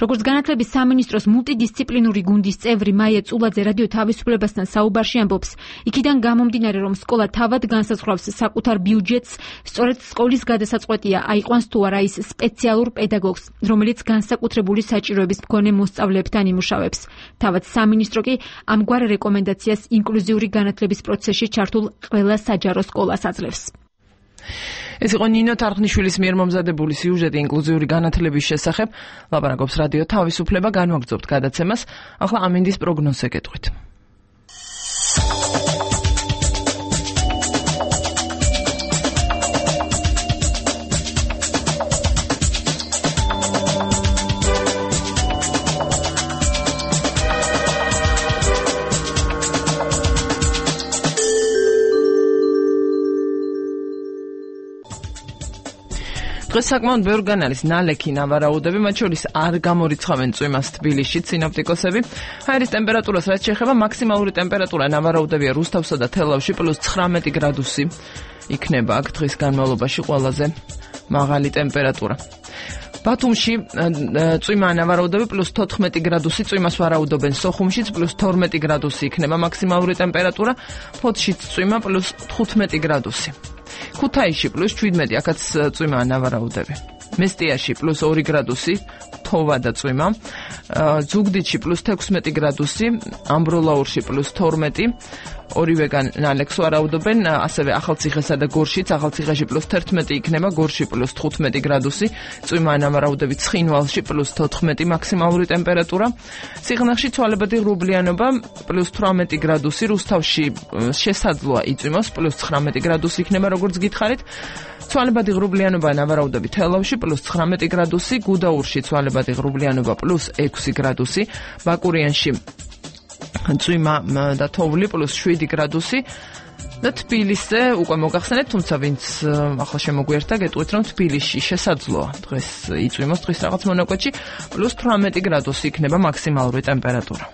როგორც განათლების სამინისტროს მულტიდისციპლინური გუნდის წევრი მაია წულაძე რადიო თავისუფლებასთან საუბარში ამბობს, იქიდან გამომდინარე, რომ სკოლა თავად განსაზღვრავს საკუთარ ბიუჯეტს, სწორედ სკოლის გადასაწყვეტია აიყვანს თუ არა ის სპეციალურ პედაგოგს, რომელიც განსაკუთრებული საჭიროების მქონე მოსწავლეებთან იმუშავებს. თავად სამინისტრო კი ამგვარ რეკომენდაციას ინკლუზიური განათლების პროცესში ჩართულ ყველა საჯარო სკოლას აძლევს. ეს იყო ნინო თარხნიშვილის მიერ მომზადებული სიუჟეტი ინკლუზიური განათლების შესახებ. ლაპარაკობს რადიო თავისუფლება, განვაგრძობთ გადაცემას. ახლა ამინდის პროგნოზზე გეტყვით. დღეს საკმაოდ ბევრგან არის ნალექი ნავარაუდები, მათ შორის არ გამორიცხავენ წვიმას თბილისში სინოპტიკოსები. ჰაერის ტემპერატურას რაც შეეხება, მაქსიმალური ტემპერატურა ნავარაუდებია რუსთავსა და თელავში +19 გრადუსი იქნება აქ დღის განმავლობაში ყველაზე მაღალი ტემპერატურა. ბათუმში წვიმაა ნავარაუდები +14 გრადუსი, წვიმას ვარაუდობენ სოხუმშიც +12 გრადუსი იქნება მაქსიმალური ტემპერატურა, ფოთშიც წვიმა +15 გრადუსი. ქუთაისში +17, აქაც წვიმაა ნავარაუდები. მესტიაში +2 გრადუსი, თოვა და წვიმა. ზუგდიდში +16 გრადუსი, ამბროლაურში +12, ორივეგან ნალექს ვარაუდობენ, ასევე ახალციხესა და გორშიც, ახალციხეში +11 იქნება, გორში +15 გრადუსი, წვიმაა ნავარაუდები ცხინვალში +14 მაქსიმალური ტემპერატურა. სიღნაღში ცვალებადი ღრუბლიანობა +18 გრადუსი, რუსთავში შესაძლოა იწვიმოს +19 გრადუსი იქნება, როგორც გითხარით. ცვალებადი ღრუბლიანობა ნავარაუდები თელავში +19 გრადუსი, გუდაურში ცვალებადი ღრუბლიანობა +6 გრადუსი, ბაკურიანში წვიმა და თოვლი +7 გრადუსი და თბილისზე უკვე მოგახსენეთ, თუმცა ვინც ახლა შემოგვიერთა, გეტყვით, რომ თბილისში შესაძლოა დღეს იწვიმოს, დღის რაღაც მონაკვეთში +18 გრადუსი იქნება მაქსიმალური ტემპერატურა.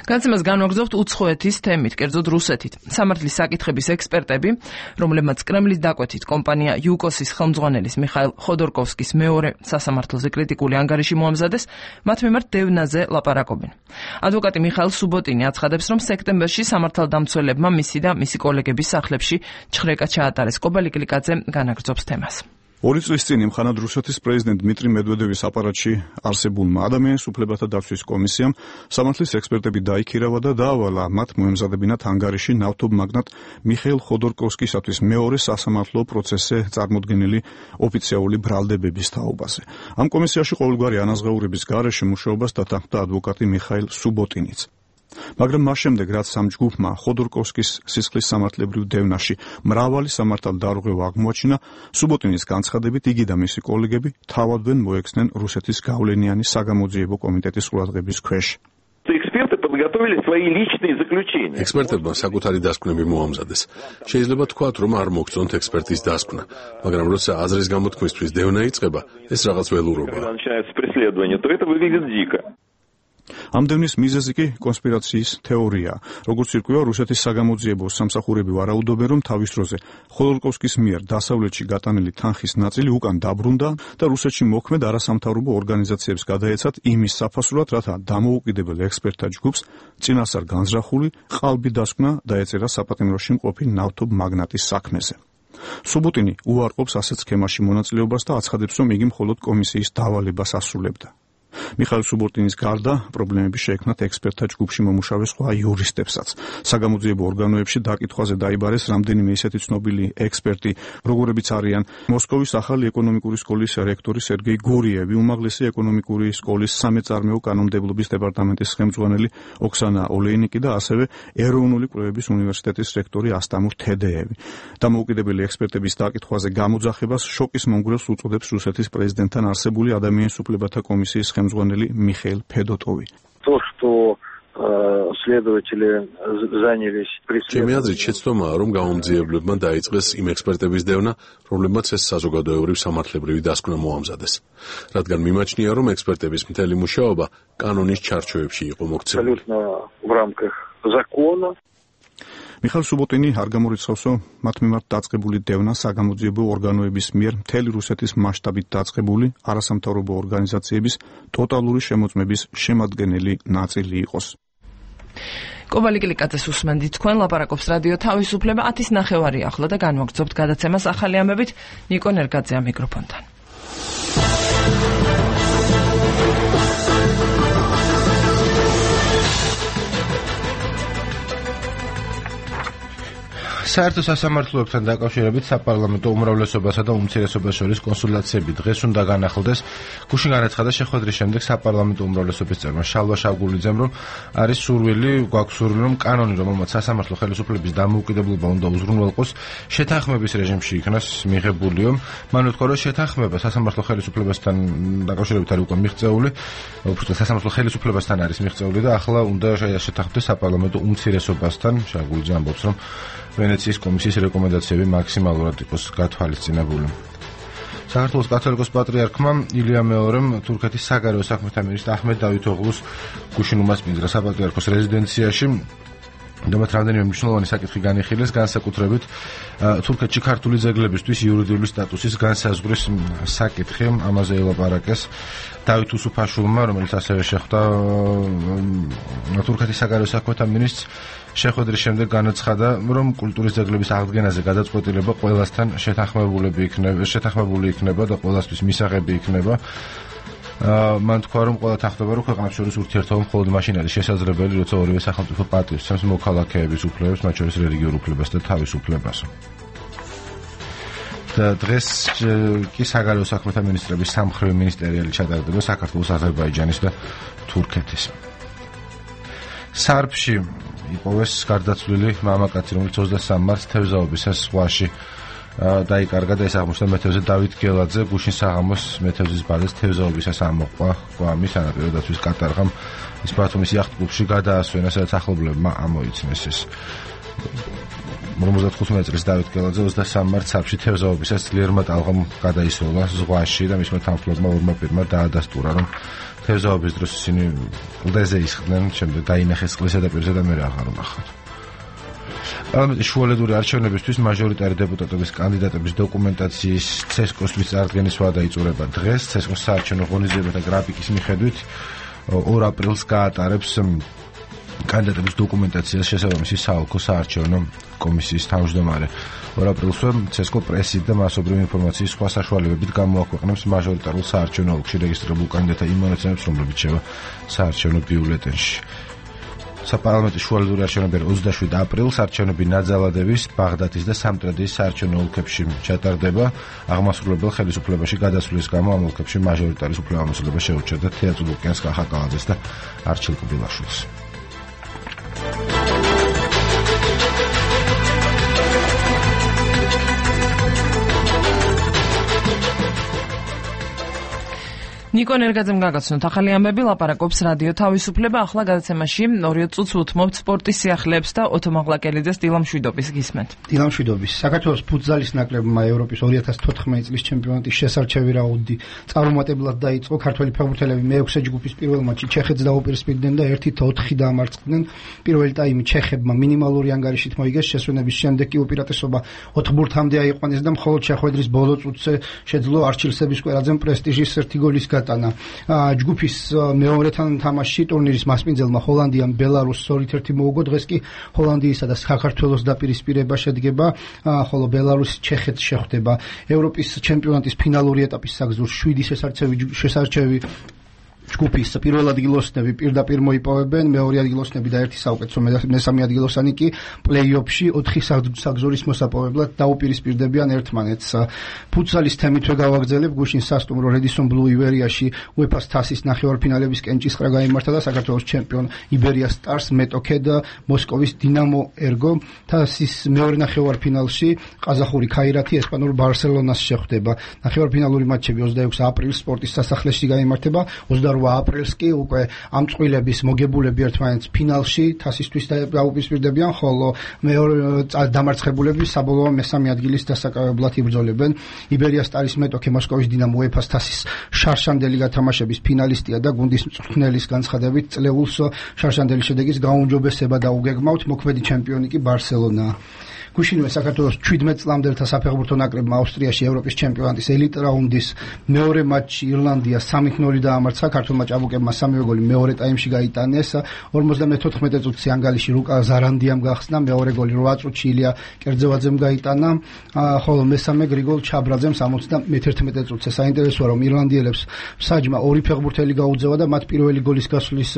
განცემას განვაგრძობთ უცხოეთის თემით, კერძოდ რუსეთით. სამართლის საკითხების ექსპერტები, რომლებმაც კრემლის დაკვეთით კომპანია იუკოსის ხელმძღვანელის მიხაილ ხოდორკოვსკის მეორე სასამართლოზე კრიტიკული ანგარიში მოამზადეს, მათ მიმართ დევნაზე ლაპარაკობენ. ადვოკატი მიხაილ სუბოტინი აცხადებს, რომ სექტემბერში სამართალდამცველებმა მისი და მისი კოლეგების სახლებში ჩხრეკა ჩაატარეს. კობალი კლიკაძე განაგრძობს თემას. 2 წლის წინ იმხანად რუსეთის პრეზიდენტ დმიტრი მედვედევის აპარატში არსებულმა ადამიანის უფლებათა დაცვის კომისიამ სამართლის ექსპერტები დაიქირავა და დაავალა მათ მოემზადებინათ ანგარიში ნავთობ მაგნატ მიხეილ ხოდორკოვსკისათვის მეორე სასამართლო პროცესზე წარმოდგენილი ოფიციალური ბრალდებების თაობაზე. ამ კომისიაში ყოველგვარი ანაზღაურების გარეშე მუშაობას დათანხმდა ადვოკატი მიხაილ სუბოტინიც. მაგრამ მას შემდეგ, რაც ამ ჯგუფმა ხოდორკოვსკის სისხლის სამართლებრივ დევნაში მრავალი სამართალდარღვევა აღმოაჩინა, სუბოტინის განცხადებით იგი და მისი კოლეგები თავადვენ მოექცნენ რუსეთის გავლენიანი საგამოძიებო კომიტეტის ყურადღების ქვეშ. ექსპერტებმა საკუთარი დასკვნები მოამზადეს. შეიძლება თქვათ, რომ არ მოგწონთ ექსპერტის დასკვნა, მაგრამ როცა აზრის გამოთქმისთვის დევნა იწყება, ეს რაღაც ველურობაა. ამ დევნის მიზეზი კი კონსპირაციის თეორია. როგორც ირკვევა, რუსეთის საგამოძიებო სამსახურები ვარაუდობენ, რომ თავის დროზე ხოდორკოვსკის მიერ დასავლეთში გატანილი თანხის ნაწილი უკან დაბრუნდა და რუსეთში მოქმედ არასამთავრობო ორგანიზაციებს გადაეცათ იმის საფასურად, რათა დამოუკიდებელ ექსპერტთა ჯგუფს წინასწარ განზრახული ყალბი დასკვნა დაეწერა საპატიმროში მყოფი ნავთობ მაგნატის საქმეზე. სუბოტინი უარყოფს ასეთ სქემაში მონაწილეობას და აცხადებს, რომ იგი მხოლოდ კომისიის დავალებას ასრულებდა. მიხაილ სუბოტინის გარდა პრობლემები შეექმნათ ექსპერტთა ჯგუფში მომუშავე სხვა იურისტებსაც. საგამოძიებო ორგანოებში დაკითხვაზე დაიბარეს რამდენიმე ისეთი ცნობილი ექსპერტი, როგორებიც არიან მოსკოვის ახალი ეკონომიკური სკოლის რექტორი სერგეი გურიევი, უმაღლესი ეკონომიკური სკოლის სამეწარმეო კანონმდებლობის დეპარტამენტის ხელმძღვანელი ოქსანა ოლეინიკი და ასევე ეროვნული კვლევების უნივერსიტეტის რექტორი ასტამურ თედეევი. დამოუკიდებელი ექსპერტების დაკითხვაზე გამოძახებას შოკის მონგრელს უწოდებს რუსეთის პრეზიდენტთან არსებული ადამიანის უფლებათა კომისიის ხელმძღვანელი მიხეილ ფედოტოვი. ჩემი აზრით შეცდომაა, რომ გამომძიებლებმა დაიწყეს იმ ექსპერტების დევნა, რომლებმაც ეს საზოგადოებრივ სამართლებრივი დასკვნა მოამზადეს. რადგან მიმაჩნია, რომ ექსპერტების მთელი მუშაობა კანონის ჩარჩოებში იყო მოქცეული. მიხაილ სუბოტინი არ გამორიცხავსო მათ მიმართ დაწყებული დევნა საგამოძიებო ორგანოების მიერ მთელი რუსეთის მასშტაბით დაწყებული არასამთავრობო ორგანიზაციების ტოტალური შემოწმების შემადგენელი ნაწილი იყოს. კობალი კილიკაძეს უსმენდით, თქვენ ლაპარაკობს რადიო თავისუფლება 10:09 ახლა და განვაგრძობთ გადაცემას ახალი ამბებით ნიკო ნერგაძეა მიკროფონთან. საერთო სასამართლოებთან დაკავშირებით საპარლამენტო უმრავლესობასა და უმცირესობას შორის კონსულტაციები დღეს უნდა განახლდეს. გუშინ განაცხადა შეხვედრის შემდეგ საპარლამენტო უმრავლესობის წევრმა შალვა შავგულიძემ, რომ არის სურვილი, რომ კანონი, რომელმაც სასამართლო ხელისუფლების დამოუკიდებლობა უნდა უზრუნველყოს, შეთანხმების რეჟიმში იქნას მიღებულიო. მან უთქვა, რომ შეთანხმება სასამართლო ხელისუფლებასთან დაკავშირებით არის უკვე მიღწეული, უბრალოდ სასამართლო ხელისუფლებასთან არის მიღწეული და ახლა უნდა შეთანხმდეს საპარლამენტო უმცირესობასთან. შავგულიძე ამბობს, რომ ვენეციის კომისიის რეკომენდაციები მაქსიმალურად იყოს გათვალისწინებული. საქართველოს კათოლიკოს პატრიარქმა ილია მეორემ თურქეთის საგარეო საქმეთა მინისტრ აჰმედ დავითოღლუს გუშინ უმასპინძლა საპატრიარქოს რეზიდენციაში. დამატ რამდენიმე მნიშვნელოვანი საკითხი განიხილეს, განსაკუთრებით თურქეთში ქართული ძეგლებისთვის იურიდიული სტატუსის განსაზღვრის საკითხი. ამაზე ელაპარაკეს დავით უსუფაშვილმა, რომელიც ასევე შეხვდა თურქეთის საგარეო საქმეთა მინისტრს. შეხვედრის შემდეგ განაცხადა, რომ კულტურის ძეგლების აღდგენაზე გადაწყვეტილება ყველასთან შეთანხმებული იქნება და ყველასთვის მისაღები იქნება. მან თქვა, რომ ყველა თანხმდება, რომ ქვეყნებს შორის ურთიერთობა მხოლოდ მაშინ არის შესაძლებელი, როცა ორივე სახელმწიფო პატივისცემს მოქალაქეების უფლებებს, მათ შორის რელიგიურ უფლებას და თავისუფლებას. დღეს კი საგარეო საქმეთა მინისტრების სამმხრივი მინისტერიალი ჩატარდება საქართველოს, აზერბაიჯანის და თურქეთის. სარფში იპოვეს გარდაცვლილი მამაკაცი, რომელიც 23 მარტს თევზაობისას ზღვაში დაიკარგა და ეს აღმოჩნდა მეთევზე დავით გელაძე. გუშინ საღამოს მეთევზის ბაზას თევზაობისას ამოყვა კვამი სანაპირო დაცვის კატარღამ. ის ბათუმის იახტ-კლუბში გადაასვენა, სადაც ახლობლებმა ამოიცნეს ეს. 55 წლის დავით გელაძე 23 მარტს სარფში თევზაობისას ძლიერმა ტალღამ გადაისროლა ზღვაში და მისმა თანხმობლებმა ორმა პირმა დაადასტურა, რომ თევზაობის დროს ისინი კლდეზე ისხდნენ, შემდეგ დაინახეს წყლის ზედაპირზე და მერე აღარ უნახავთ. პარლამენტის შუალედური არჩევნებისთვის მაჟორიტარი დეპუტატების კანდიდატების დოკუმენტაციის ცესკოს წარდგენის ვადა იწურება დღეს. ცესკოს საარჩევნო ღონისძიებათა გრაფიკის მიხედვით 2 აპრილს გაატარებს კანდიდატების დოკუმენტაციას შესაბამისი საოლქო საარჩევნო კომისიის თავმჯდომარე. 2 აპრილსვე ცესკო პრესით და მასობრივი ინფორმაციის სხვა საშუალებებით გამოაქვეყნებს მაჟორიტარულ საარჩევნო ოლქში რეგისტრირებულ კანდიდატთა იმ მონაცემებს, რომლებიც შევა საარჩევნო ბიულეტენში. საპარლამენტო შუალედური არჩევნები 27 აპრილს არჩევნები ნაძალადევის, ბაღდათის და სამტრედიის საარჩევნო ოლქებში ჩატარდება. აღმასრულებელ ხელისუფლებაში გადასვლის გამო ამ ოლქებში მაჟორიტარის უფლებამოსილება შეურჩება თეატრ ლუკიანს კახაკალაძეს და არჩილ კბილაშვილს. ნიკო ნერგაძემ გაგაცნოთ ახალი ამბები, ლაპარაკობს რადიო თავისუფლება. ახლა გადაცემაში 2 წუთს უთმობთ სპორტის სიახლეებს და ოთო მაღლაკელიძეს დილამშვიდობის გისმენთ. დილამშვიდობის. საქართველოს ფუტზალის ნაკრებმა ევროპის 2014 წლის ჩემპიონატის შესარჩევი რაუნდი წარუმატებლად დაიწყო. ქართველი ფეხბურთელები მე-6 ჯგუფის პირველ მატჩში ჩეხეთს დაუპირისპირდნენ და 1-4 დაამარცხდნენ. პირველი ტაიმი ჩეხებმა მინიმალური ანგარიშით მოიგეს, შესვენების შემდეგ კი უპირატესობა 4 ბურთამდე აიყვანეს და მხოლოდ შეხვედრის ბოლო წუთზე შეძლო არჩილ სებისკვერაძემ პრესტიჟის 1 გოლის გატანა. ჯგუფის მეორეთან თამაშში ტურნირის მასპინძელმა ჰოლანდიამ ბელარუსს 2-1 მოუგო. დღეს კი ჰოლანდიისა და საქართველოს დაპირისპირება შედგება, ხოლო ბელარუსი ჩეხეთს შეხვდება. ევროპის ჩემპიონატის ფინალური ეტაპის საგზურს 7 შესარჩევი ჯგუფის პირველ ადგილოსნები პირდაპირ მოიპოვებენ, მეორე ადგილოსნები და ერთი საუკეთესო მესამე ადგილოსანი კი პლეი-ოფში 4 საგზურის მოსაპოვებლად დაუპირისპირდებიან ერთმანეთს. ფუტსალის თემითვე გავაგრძელებ, გუშინ სასტუმრო Redison Blue ივერიაში UEFA-ს თასის ნახევარფინალების კენჭისყრა გაიმართა და საქართველოს ჩემპიონ იბერია სტარს მეტოქედ მოსკოვის დინამო ერგო თასის მეორე ნახევარფინალში ყაზახური ქაირათი ესპანურ ბარსელონას შეხვდება. ნახევარფინალური მატჩები 26 აპრილს სპორტის სასახლეში გაიმართება, 28 აპრილს კი უკვე ამ წყვილების მოგებულები ერთმანეთს ფინალში თასისთვის დაუპირისპირდებიან, ხოლო მეორე დამარცხებულები საბოლოო მესამე ადგილის დასაკავებლად იბრძოლებენ. იბერია სტარის მეტოქე მოსკოვის დინამო UEFA-ს თასის შარშანდელი გათამაშების ფინალისტია და გუნდის მწვრთნელის განცხადებით წლეულს შარშანდელი შედეგის გაუმჯობესება დაუგეგმავთ, მოქმედი ჩემპიონი კი ბარსელონაა. გუშინვე საქართველოს 17 წლამდელთა საფეხბურთო ნაკრებმა ავსტრიაში ევროპის ჩემპიონატის ელიტ რაუნდის მეორე მატჩი ირლანდია 3-0 დაამარცხა. ქართველმა ჭაბუკებმა სამივე გოლი მეორე ტაიმში გაიტანეს. 54 წუთში ანგალში ლუკა ზარანდიამ გახსნა, მეორე გოლი 8 წუთში ილია კერძევაძემ გაიტანა, ხოლო მესამე გრიგოლ ჩაბრაძემ 71 წუთზე. საინტერესოა, რომ ირლანდიელებს საჯმა ორი ფეხბურთელი გაუძევა და მათ პირველი გოლის გასვლის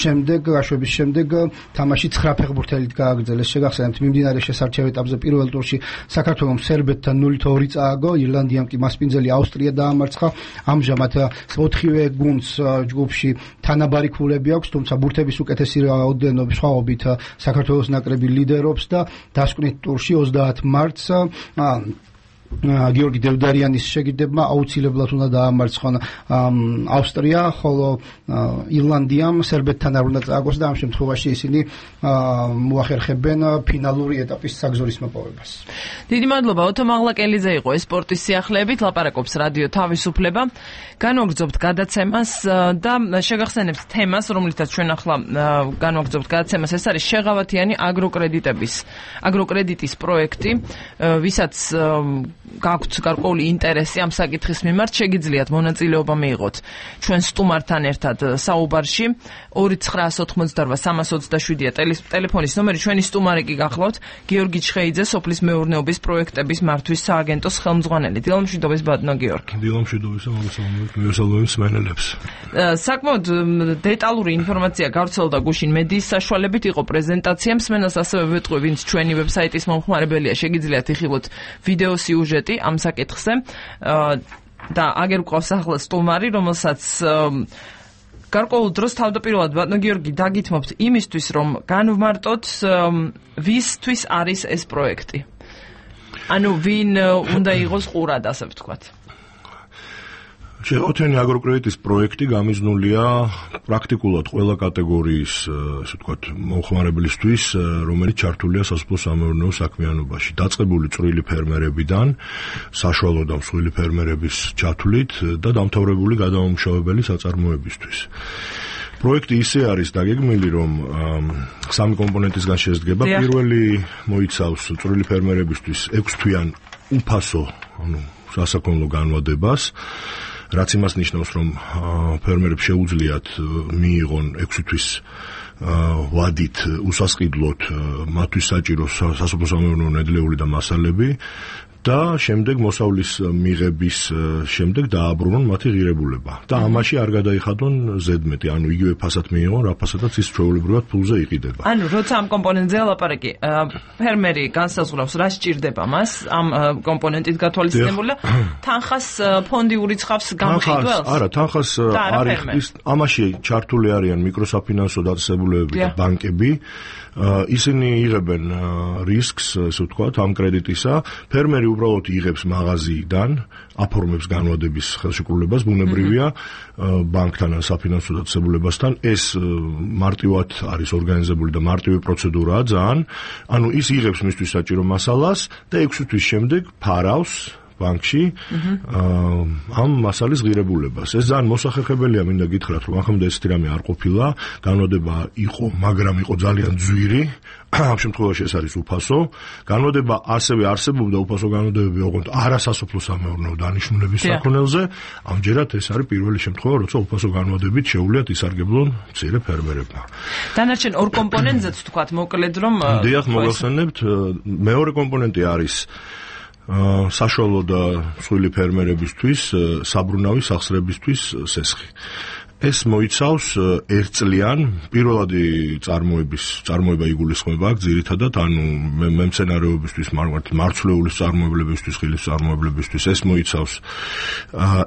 შემდეგ, გაშვების შემდეგ თამაში 9 ფეხბურთელით გააგრძელეს. შეგახსენებთ, მიმდინარე შესარჩევ ეტაპზე პირველ ტურში საქართველოს სერბეთთან 0-2 წააგო, ირლანდიამ კი მასპინძელი ავსტრია დაამარცხა. ამჟამად 4-ვე გუნდს ჯგუფში თანაბარი ქულები აქვს, თუმცა ბურთების უკეთესი რაოდენობის სხვაობით საქართველოს ნაკრები ლიდერობს და დასკვნით ტურში 30 მარტს გიორგი დევდარიანის შეგირდებმა აუცილებლად უნდა დაამარცხონ ავსტრია, ხოლო ირლანდიამ სერბეთთან არ უნდა წააგოს და ამ შემთხვევაში ისინი მოახერხებენ ფინალური ეტაპის საგზურის მოპოვებას. დიდი მადლობა, ოთო მაღლაკელიძე იყო სპორტის სიახლეებით, ლაპარაკობს რადიო თავისუფლება. განვაგრძობთ გადაცემას და შეგახსენებთ თემას, რომლითაც ჩვენ ახლა განვაგრძობთ გადაცემას, ეს არის შეღავათიანი აგროკრედიტის პროექტი, ვისაც გაქვთ გარკვეული ინტერესი ამ საკითხის მიმართ, შეგიძლიათ მონაწილეობა მიიღოთ ჩვენ სტუმართან ერთად საუბარში. 2988-327-ია ტელეფონის ნომერი. ჩვენი სტუმარი კი გახლავთ გიორგი ჩხეიძე, სოფლის მეურნეობის პროექტების მართვის სააგენტოს ხელმძღვანელი. დილამშვიდობის ბატონო გიორგი. დილამშვიდობისა მოგესალმებით მსმენელებს. საკმაოდ დეტალური ინფორმაცია გავრცელდა გუშინ მედიის საშუალებით, იყო პრეზენტაცია. მსმენელს ასევე ვეტყვი, ვინც ჩვენი ვებსაიტის მომხმარებელია, შეგიძლიათ იხილოთ ვიდეო სიუჟეტი ამ საკითხზე და აგერ გვყავს ახლა სტუმარი, რომელსაც გარკვეულ დროს თავდაპირველად ბატონო გიორგი დაგითმობთ იმისთვის, რომ განვმარტოთ ვისთვის არის ეს პროექტი. ანუ ვინ უნდა იყოს ყურად, ასე ვთქვათ. შეღავათიანი აგროკრედიტის პროექტი გამიზნულია პრაქტიკულად ყველა კატეგორიის, ასე ვთქვათ, მომხმარებლისთვის, რომელიც ჩართულია სასოფლო-სამეურნეო საქმიანობაში. დაწყებული წვრილი ფერმერებიდან, საშუალო და მსხვილი ფერმერების ჩათვლით და დამთავრებული გადამამუშავებელი საწარმოებისთვის. პროექტი ისე არის დაგეგმილი, რომ 3 კომპონენტისგან შედგება. პირველი მოიცავს წვრილი ფერმერებისთვის 6 თვიან უფასო, სასაქონლო განვადებას, რაც იმას ნიშნავს, რომ ფერმერებს შეუძლიათ მიიღონ 6 თვის ვადით უსასყიდლოდ მათთვის საჭირო სასოფლო-სამეურნეო ნედლეული და მასალები და შემდეგ მოსავლის მიღების შემდეგ დააბრუნონ მათი ღირებულება და ამაში არ გადაიხადონ ზედმეტი, ანუ იგივე ფასად მიიღონ, რა ფასადაც ის ჩვეულებრივად ფულზე იყიდება. ანუ როცა ამ კომპონენტზე ლაპარაკი, ფერმერი განსაზღვრავს რა სჭირდება მას ამ კომპონენტით გათვალისწინებული და თანხას ფონდი ურიცხავს გამყიდველს? არა, თანხას არ იხდის, ამაში ჩართული არიან მიკროსაფინანსო დაწესებულებები და ბანკები. ისინი იღებენ რისკს, ასე ვთქვათ, ამ კრედიტისა. ფერმერი უბრალოდ იღებს მაღაზიიდან, აფორმებს განვადების ხელშეკრულებას, ბუნებრივია ბანკთან ან საფინანსო დაწესებულებასთან. ეს მარტივად არის ორგანიზებული და მარტივი პროცედურაა ძალიან. ანუ ის იღებს მისთვის საჭირო მასალას და 6 თვის შემდეგ ფარავს ბანკში ამ მასალის ღირებულებას. ეს ძალიან მოსახერხებელია, მინდა გითხრათ, რომ ახლა ესეთი რამე არ ყოფილა, განვადება იყო, მაგრამ იყო ძალიან ძვირი. ამ შემთხვევაში ეს არის უფასო. განვადება ასევე არსებობდა უფასო განვადებები, ოღონდ არასასოფლო-სამეურნეო დანიშნულების საქონელზე. ამჯერად ეს არის პირველი შემთხვევა, როცა უფასო განვადებით შეუძლიათ ისარგებლონ მცირე ფერმერებმა. დანარჩენ ორ კომპონენტზეც ვთქვათ, მოკლედ რომ დიახ, მოგახსენებთ, მეორე კომპონენტი არის საშუალო და მსხვილი ფერმერებისთვის, საბრუნავი სახსრებისთვის სესხი. ეს მოიცავს ერთწლიან პირველადი წარმოება იგულისხმება აქ ძირითადად, ანუ მემცენარეობისთვის, მარცვლეულის წარმოებლებისთვის, ხილის წარმოებლებისთვის ეს მოიცავს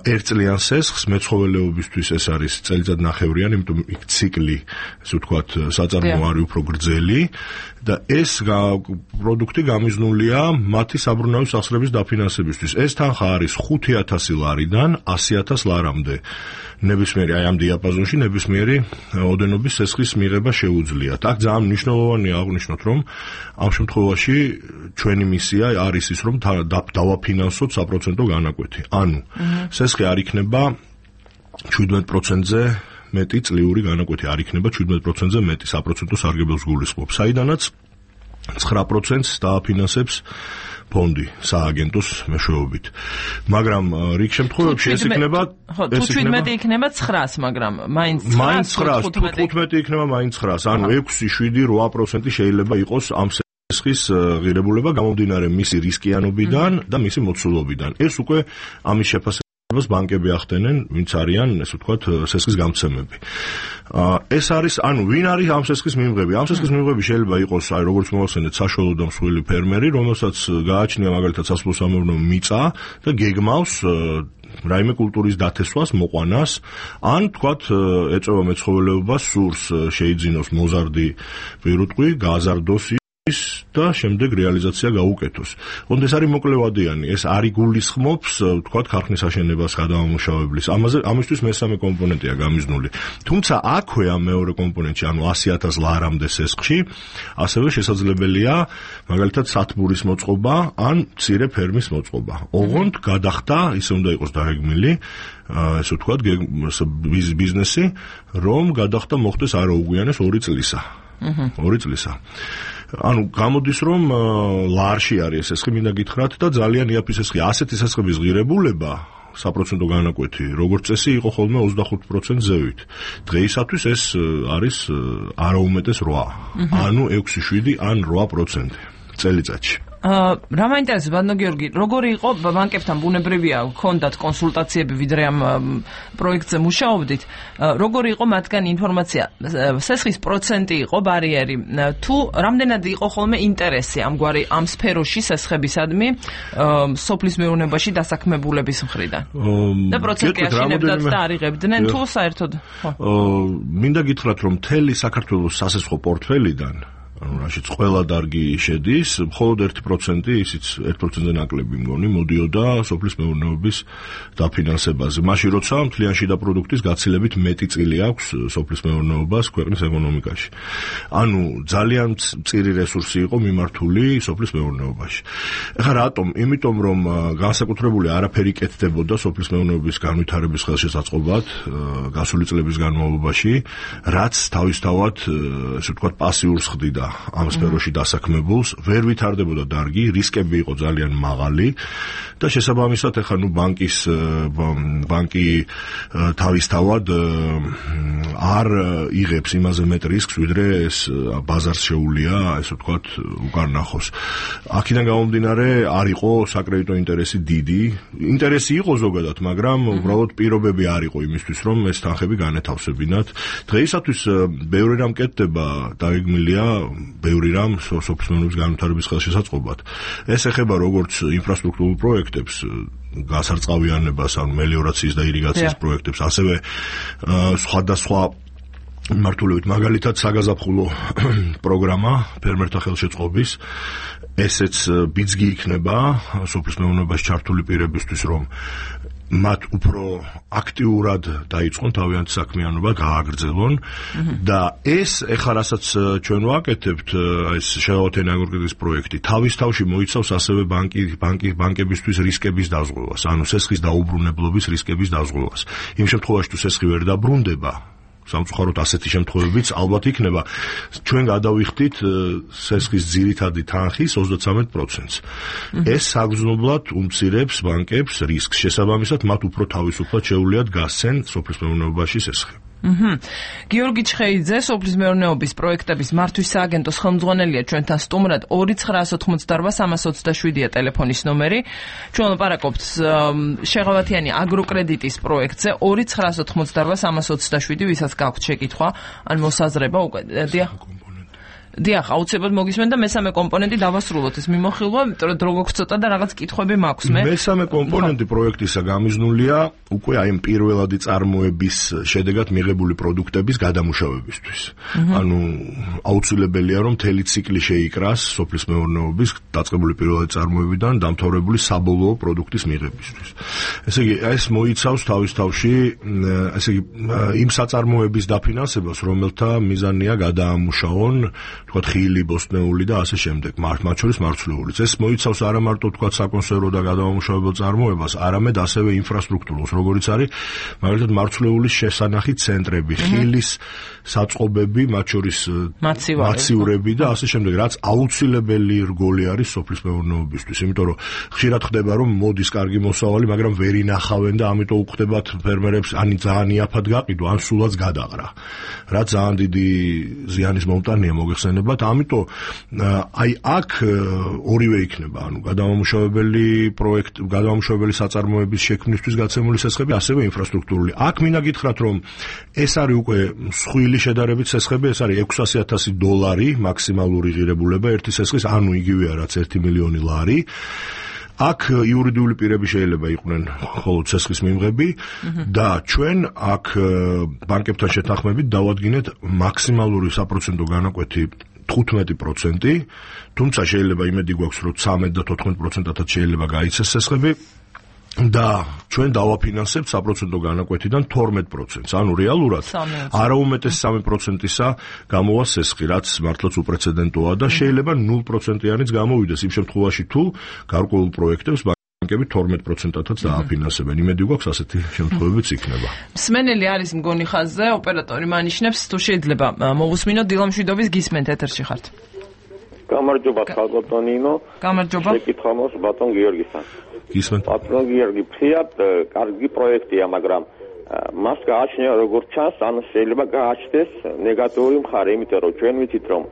ერთწლიან სესხს, მეცხოველეობისთვის ეს არის წელიწადნახევრიანი, იმიტომ იქ ციკლი, ასე ვთქვათ, საწარმოო არის უფრო გრძელი და ეს პროდუქტი გამიზნულია მათი საბრუნავი სახსრების დაფინანსებისთვის. ეს თანხა არის 5,000 ლარიდან 100,000 ლარამდე. ნებისმიერი აი ამ დიაპაზონში ნებისმიერი ოდენობის სესხის მიღება შეუძლიათ. აქ ძალიან მნიშვნელოვანია აღვნიშნოთ, რომ ამ შემთხვევაში ჩვენი მისია არის ის, რომ დავაფინანსოთ საპროცენტო განაკვეთი. ანუ სესხი არ იქნება 17%-ზე მეტი წლიური განაკვეთი არ იქნება 17%-ზე მეტი საპროცენტო სარგებელს გულისხმობს. საიდანაც 9%-ს დააფინანსებს ფონდი სააგენტოს მეშვეობით. მაგრამ რიგ შემთხვევებში ეს იქნება 17 იქნება 900, მაგრამ მაინც 15 იქნება მაინც 900. ანუ 6, 7, 8% შეიძლება იყოს ამ სესხის ღირებულება გამომდინარე მისი რისკიანობიდან და მისი მოცულობიდან. ეს უკვე ამის შეფასებას ბანკები ახდენენ, ვინც არიან, ესე ვთქვათ, სესხის გამცემები. ეს არის, ანუ ვინ არის ამ სესხის მიმღები? ამ სესხის მიმღები შეიძლება იყოს, აი როგორც მოვახსენეთ, საშუალო და მსხვილი ფერმერი, რომელსაც გააჩნია მაგალითად სასოფლო-სამეურნეო მიწა და გეგმავს რაიმე კულტურის დათესვას, მოყვანას, ან თქვათ ეწევა მეცხოველეობას, სურს შეიძინოს მოზარდი პირუტყვი, გააზარდოს და შემდეგ რეალიზაცია გაუკეთოს. ოღონდ ეს არის მოკლევადიანი, ეს არ იგულისხმობს, თქვათ, ქარხნის აშენებას, გადამამუშავებლის. ამისთვის მესამე კომპონენტია გამიზნული. თუმცა აქვე ამ მეორე კომპონენტში, ანუ 100,000 ლარამდე სესხში, ასევე შესაძლებელია მაგალითად სათბურის მოწყობა ან მცირე ფერმის მოწყობა. ოღონდ გადახდა, ისე უნდა იყოს დაგეგმილი, ესე ვთქვათ, ბიზნესი, რომ გადახდა მოხდეს არაუგვიანეს 2 წლისა. 2 წლისა. ანუ გამოდის რომ ლარში არის სესხი, მინდა გითხრათ და ძალიან იაფი სესხი. ასეთი სესხების ღირებულება საპროცენტო განაკვეთი, როგორც წესი, იყო ხოლმე 25% ზევით. დღეისათვის ეს არის არაუმეტეს 8. ანუ 6, 7 ან 8% წელიწადში. რა მაინტერესებს ბანდო გიორგი, როგორი იყო ბანკებთან ბუნებრივია გქონდათ კონსულტაციები ვიდრე ამ პროექტზე მუშაობდით, როგორი იყო მათგან ინფორმაცია, სესხის პროცენტი იყო ბარიერი, თუ რამდენად იყო ხოლმე ინტერესი ამგვარი ამ სფეროში სესხებისადმი სოფლის მეურნეობაში დასაქმებულების მხრიდან და პროცენტი აშენებდათ და არიღებდნენ თუ საერთოდ? მინდა გითხრათ, რომ მთელი საქართველოს სასესხო პორტფელიდან ანუ რაშიც ყველა დარგი შედის, მხოლოდ 1%, ისიც 1%-ზე ნაკლები მგონი, მოდიოდა სოფლის მეურნეობის დაფინანსებაზე. მაშინ როცა მთლიან შიდა პროდუქტის გაცილებით მეტი წილი აქვს სოფლის მეურნეობას ქვეყნის ეკონომიკაში. ანუ ძალიან მწირი რესურსი იყო მიმართული სოფლის მეურნეობაში. ეხლა რატომ? იმიტომ რომ განსაკუთრებული არაფერი კეთდებოდა სოფლის მეურნეობის განვითარების ხელშესაწყობად გასული წლების განმავლობაში, რაც თავისთავად, ესე ვთქვათ, პასიურს ხდიდა ამ სფეროში დასაქმებულს, ვერ ვითარდებოდა დარგი, რისკები იყო ძალიან მაღალი და შესაბამისად ეხლა ბანკი თავისთავად არ იღებს იმაზე მეტ რისკს, ვიდრე ეს ბაზარს შეუულია, ესე ვთქვათ, უკან ნახოს. აქედან გამომდინარე არ იყო საკრედიტო ინტერესი დიდი, ინტერესი იყო ზოგადად, მაგრამ უბრალოდ პირობები არ იყო იმისთვის, რომ ეს თანხები განეთავსებინათ. დღეისათვის ბევრი რამ კეთდება, დაგეგმილია ბევრი რამ სოფლის მეურნეობის განვითარების ხელშესაწყობად. ეს ეხება როგორც ინფრასტრუქტურულ პროექტებს, გასარწყავიანებას, ანუ მელიორაციის და ირიგაციის პროექტებს, ასევე სხვადასხვა მიმართულებით, მაგალითად საგაზაფხულო პროგრამა ფერმერთა ხელშეწყობის, ესეც ბიძგი იქნება სოფლის მეურნეობაში ჩართული პირებისთვის, რომ მათ უფრო აქტიურად დაიწყონ თავიანთი საქმიანობა, გააგრძელონ და ეს ეხლა რასაც ჩვენ ვაკეთებთ, ეს შეავთენი აგროკრედიტის პროექტი, თავის თავში მოიცავს ასევე ბანკებისთვის რისკების დაზღვევას, ანუ სესხის დაუბრუნებლობის რისკების დაზღვევას. იმ შემთხვევაში თუ სესხი ვერ დაბრუნდება, სამწუხაროდ ასეთი შემთხვევებიც ალბათ იქნება, ჩვენ გადავიხდით სესხის ძირითადი თანხის 33%-ს. ეს საგრძნობლად უმცირებს ბანკებს რისკს, შესაბამისად მათ უფრო თავისუფლად შეუძლიათ გასცენ სოფლის მეურნეობაში სესხი. გიორგი ჩხეიძე, სოფლის მეურნეობის პროექტების მართვის სააგენტოს ხელმძღვანელია ჩვენთან სტუმრად. 2988327-ია ტელეფონის ნომერი. ჩვენ ვლაპარაკობთ შეღავათიანი აგროკრედიტის პროექტზე 2988327, ვისაც გაქვთ შეკითხვა ან მოსაზრება უკვე დიახ, აუცილებლად მოგისმენთ და მესამე კომპონენტი დავასრულოთ ეს მიმოხილვა, იმიტომ რომ დრო გვაქვს ცოტა და რაღაც კითხვები მაქვს მე. მესამე კომპონენტი პროექტისა გამიზნულია უკვე აი ამ პირველადი წარმოების შედეგად მიღებული პროდუქტების გადამუშავებისთვის. ანუ აუცილებელია რომ მთელი ციკლი შეიკრას სოფლის მეურნეობის დაწყებული პირველადი წარმოებიდან დამთავრებული საბოლოო პროდუქტის მიღებისთვის. ესე იგი, ეს მოიცავს თავის თავში, ესე იგი, იმ საწარმოების დაფინანსებას, რომელთა მიზანია გადაამუშავონ თქვათ ხილი, ბოსტნეული და ასე შემდეგ, მათ შორის მარცვლიულიც. ეს მოიცავს არა მარტო თქვათ საკონსერვო და გადამამუშავებელ წარმოებას, არამედ ასევე ინფრასტრუქტურას, როგორიც არის მაგალითად მარცვლეულის შესანახი ცენტრები, ხილის საწყობები, მათ შორის მაცივრები და ასე შემდეგ, რაც აუცილებელი რგოლი არის სოფლის მეურნეობისთვის, იმიტომ რომ ხშირად ხდება რომ მოდის კარგი მოსავალი, მაგრამ ვერ ინახავენ და ამიტომ უხდებათ ფერმერებს ან ძალიან იაფად გაყიდვა, ან სულაც გადაყრა. რაც ძალიან დიდი ზიანის მომტანია მოგეხსენებათ, ამიტომ აი აქ ორივე იქნება, ანუ გადამამუშავებელი საწარმოების შექმნისთვის გაცემული სესხები, ასევე ინფრასტრუქტურული. აქ მინდა გითხრათ, რომ ეს არის უკვე მსხვილი შედარებით სესხები, ეს არის $600,000 მაქსიმალური ღირებულება ერთი სესხის, ანუ იგივეა რაც 1 მილიონი ლარი. აქ იურიდიული პირები შეიძლება იყვნენ მხოლოდ სესხის მიმღები და ჩვენ აქ ბანკებთან შეთანხმებით დავადგინეთ მაქსიმალური საპროცენტო განაკვეთი 15%, თუმცა შეიძლება იმედი გვაქვს, რომ 13 და 14%-ად შეიძლება გაიცეს სესხები და ჩვენ დავაფინანსებთ საპროცენტო განაკვეთიდან 12%-ს, ანუ რეალურად არაუმეტეს 3%-ისა გამოვა სესხი, რაც მართლაც უპრეცედენტოა და შეიძლება 0%-იანიც გამოვიდეს იმ შემთხვევაში, თუ გარკვეულ პროექტებს ბანკები 12%-ად დააფინანსებენ. იმედი გვაქვს ასეთი შემთხვევებიც იქნება. მსმენელი არის მგონი ხაზზე, ოპერატორი მანიშნებს, თუ შეიძლება მოვუსმინოთ დილამშვიდობის გისმენთ ეთერში ხართ. გამარჯობა ხალბატონინო. გამარჯობა. შეკითხვა მაქვს ბატონ გიორგისთან. გისმენთ. ბატონ გიორგი, ფრიად კარგი პროექტია, მაგრამ მას გააჩნია როგორც ჩანს, ანუ შეიძლება გააჩნდეს ნეგატიური მხარე, იმიტომ რომ ჩვენ ვიცით, რომ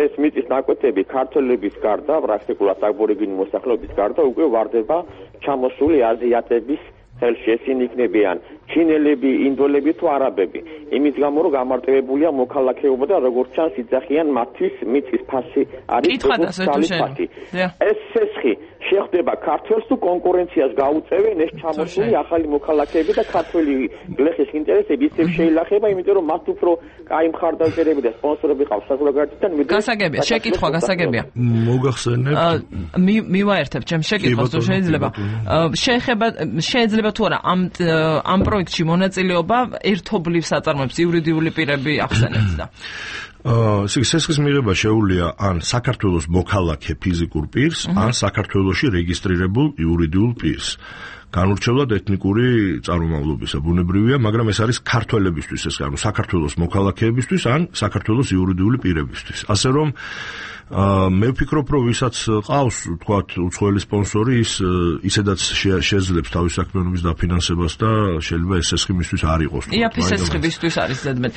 ეს მიწის ნაკვეთები ქართველების გარდა, პრაქტიკულად აბორიგენი მოსახლეობის გარდა უკვე ვარდება ჩამოსული აზიატების ხელში. ესენი იქნებიან ჩინელები, ინდოელები თუ არაბები. იმის გამო რომ გამარტივებულია მოქალაქეობა და როგორც ჩანს იძახიან მათთვის მიწის ფასი არის ფასი. ეს სესხი შეხვდება ქართველს თუ კონკურენციას გაუწევენ ეს ჩამოსული ახალი მოქალაქეები და ქართველი გლეხის ინტერესები ისევ შეილახება, იმიტომ რომ მათ უფრო კაი მხარდაჭერები და სპონსორები ყავს საზოგადოებიდან. გასაგებია, შეკითხვა გასაგებია. მოგახსენებთ. მივაერთებ ჩემ შეკითხვას თუ შეიძლება. შეიძლება თუ არა ამ პროექტში მონაწილეობა ერთობლივ საწარმოებს იურიდიული პირები ახსენებს და სესხის მიღება შეუძლია ან საქართველოს მოქალაქე ფიზიკურ პირს, ან საქართველოში რეგისტრირებულ იურიდიულ პირს. განურჩევლად ეთნიკური წარმომავლობისა ბუნებრივია, მაგრამ ეს არის ქართველებისთვის, ეს ანუ საქართველოს მოქალაქეებისთვის, ან საქართველოს იურიდიული პირებისთვის. ასე რომ მე ვფიქრობ, რომ ვისაც ყავს, თქვათ, უცხოელი სპონსორი, ის ისედაც შეძლებს თავის საქმიანობის დაფინანსებას და შეიძლება ეს სესხი მისთვის არ იყოს. იაფი სესხი მისთვის არის ზედმეტ.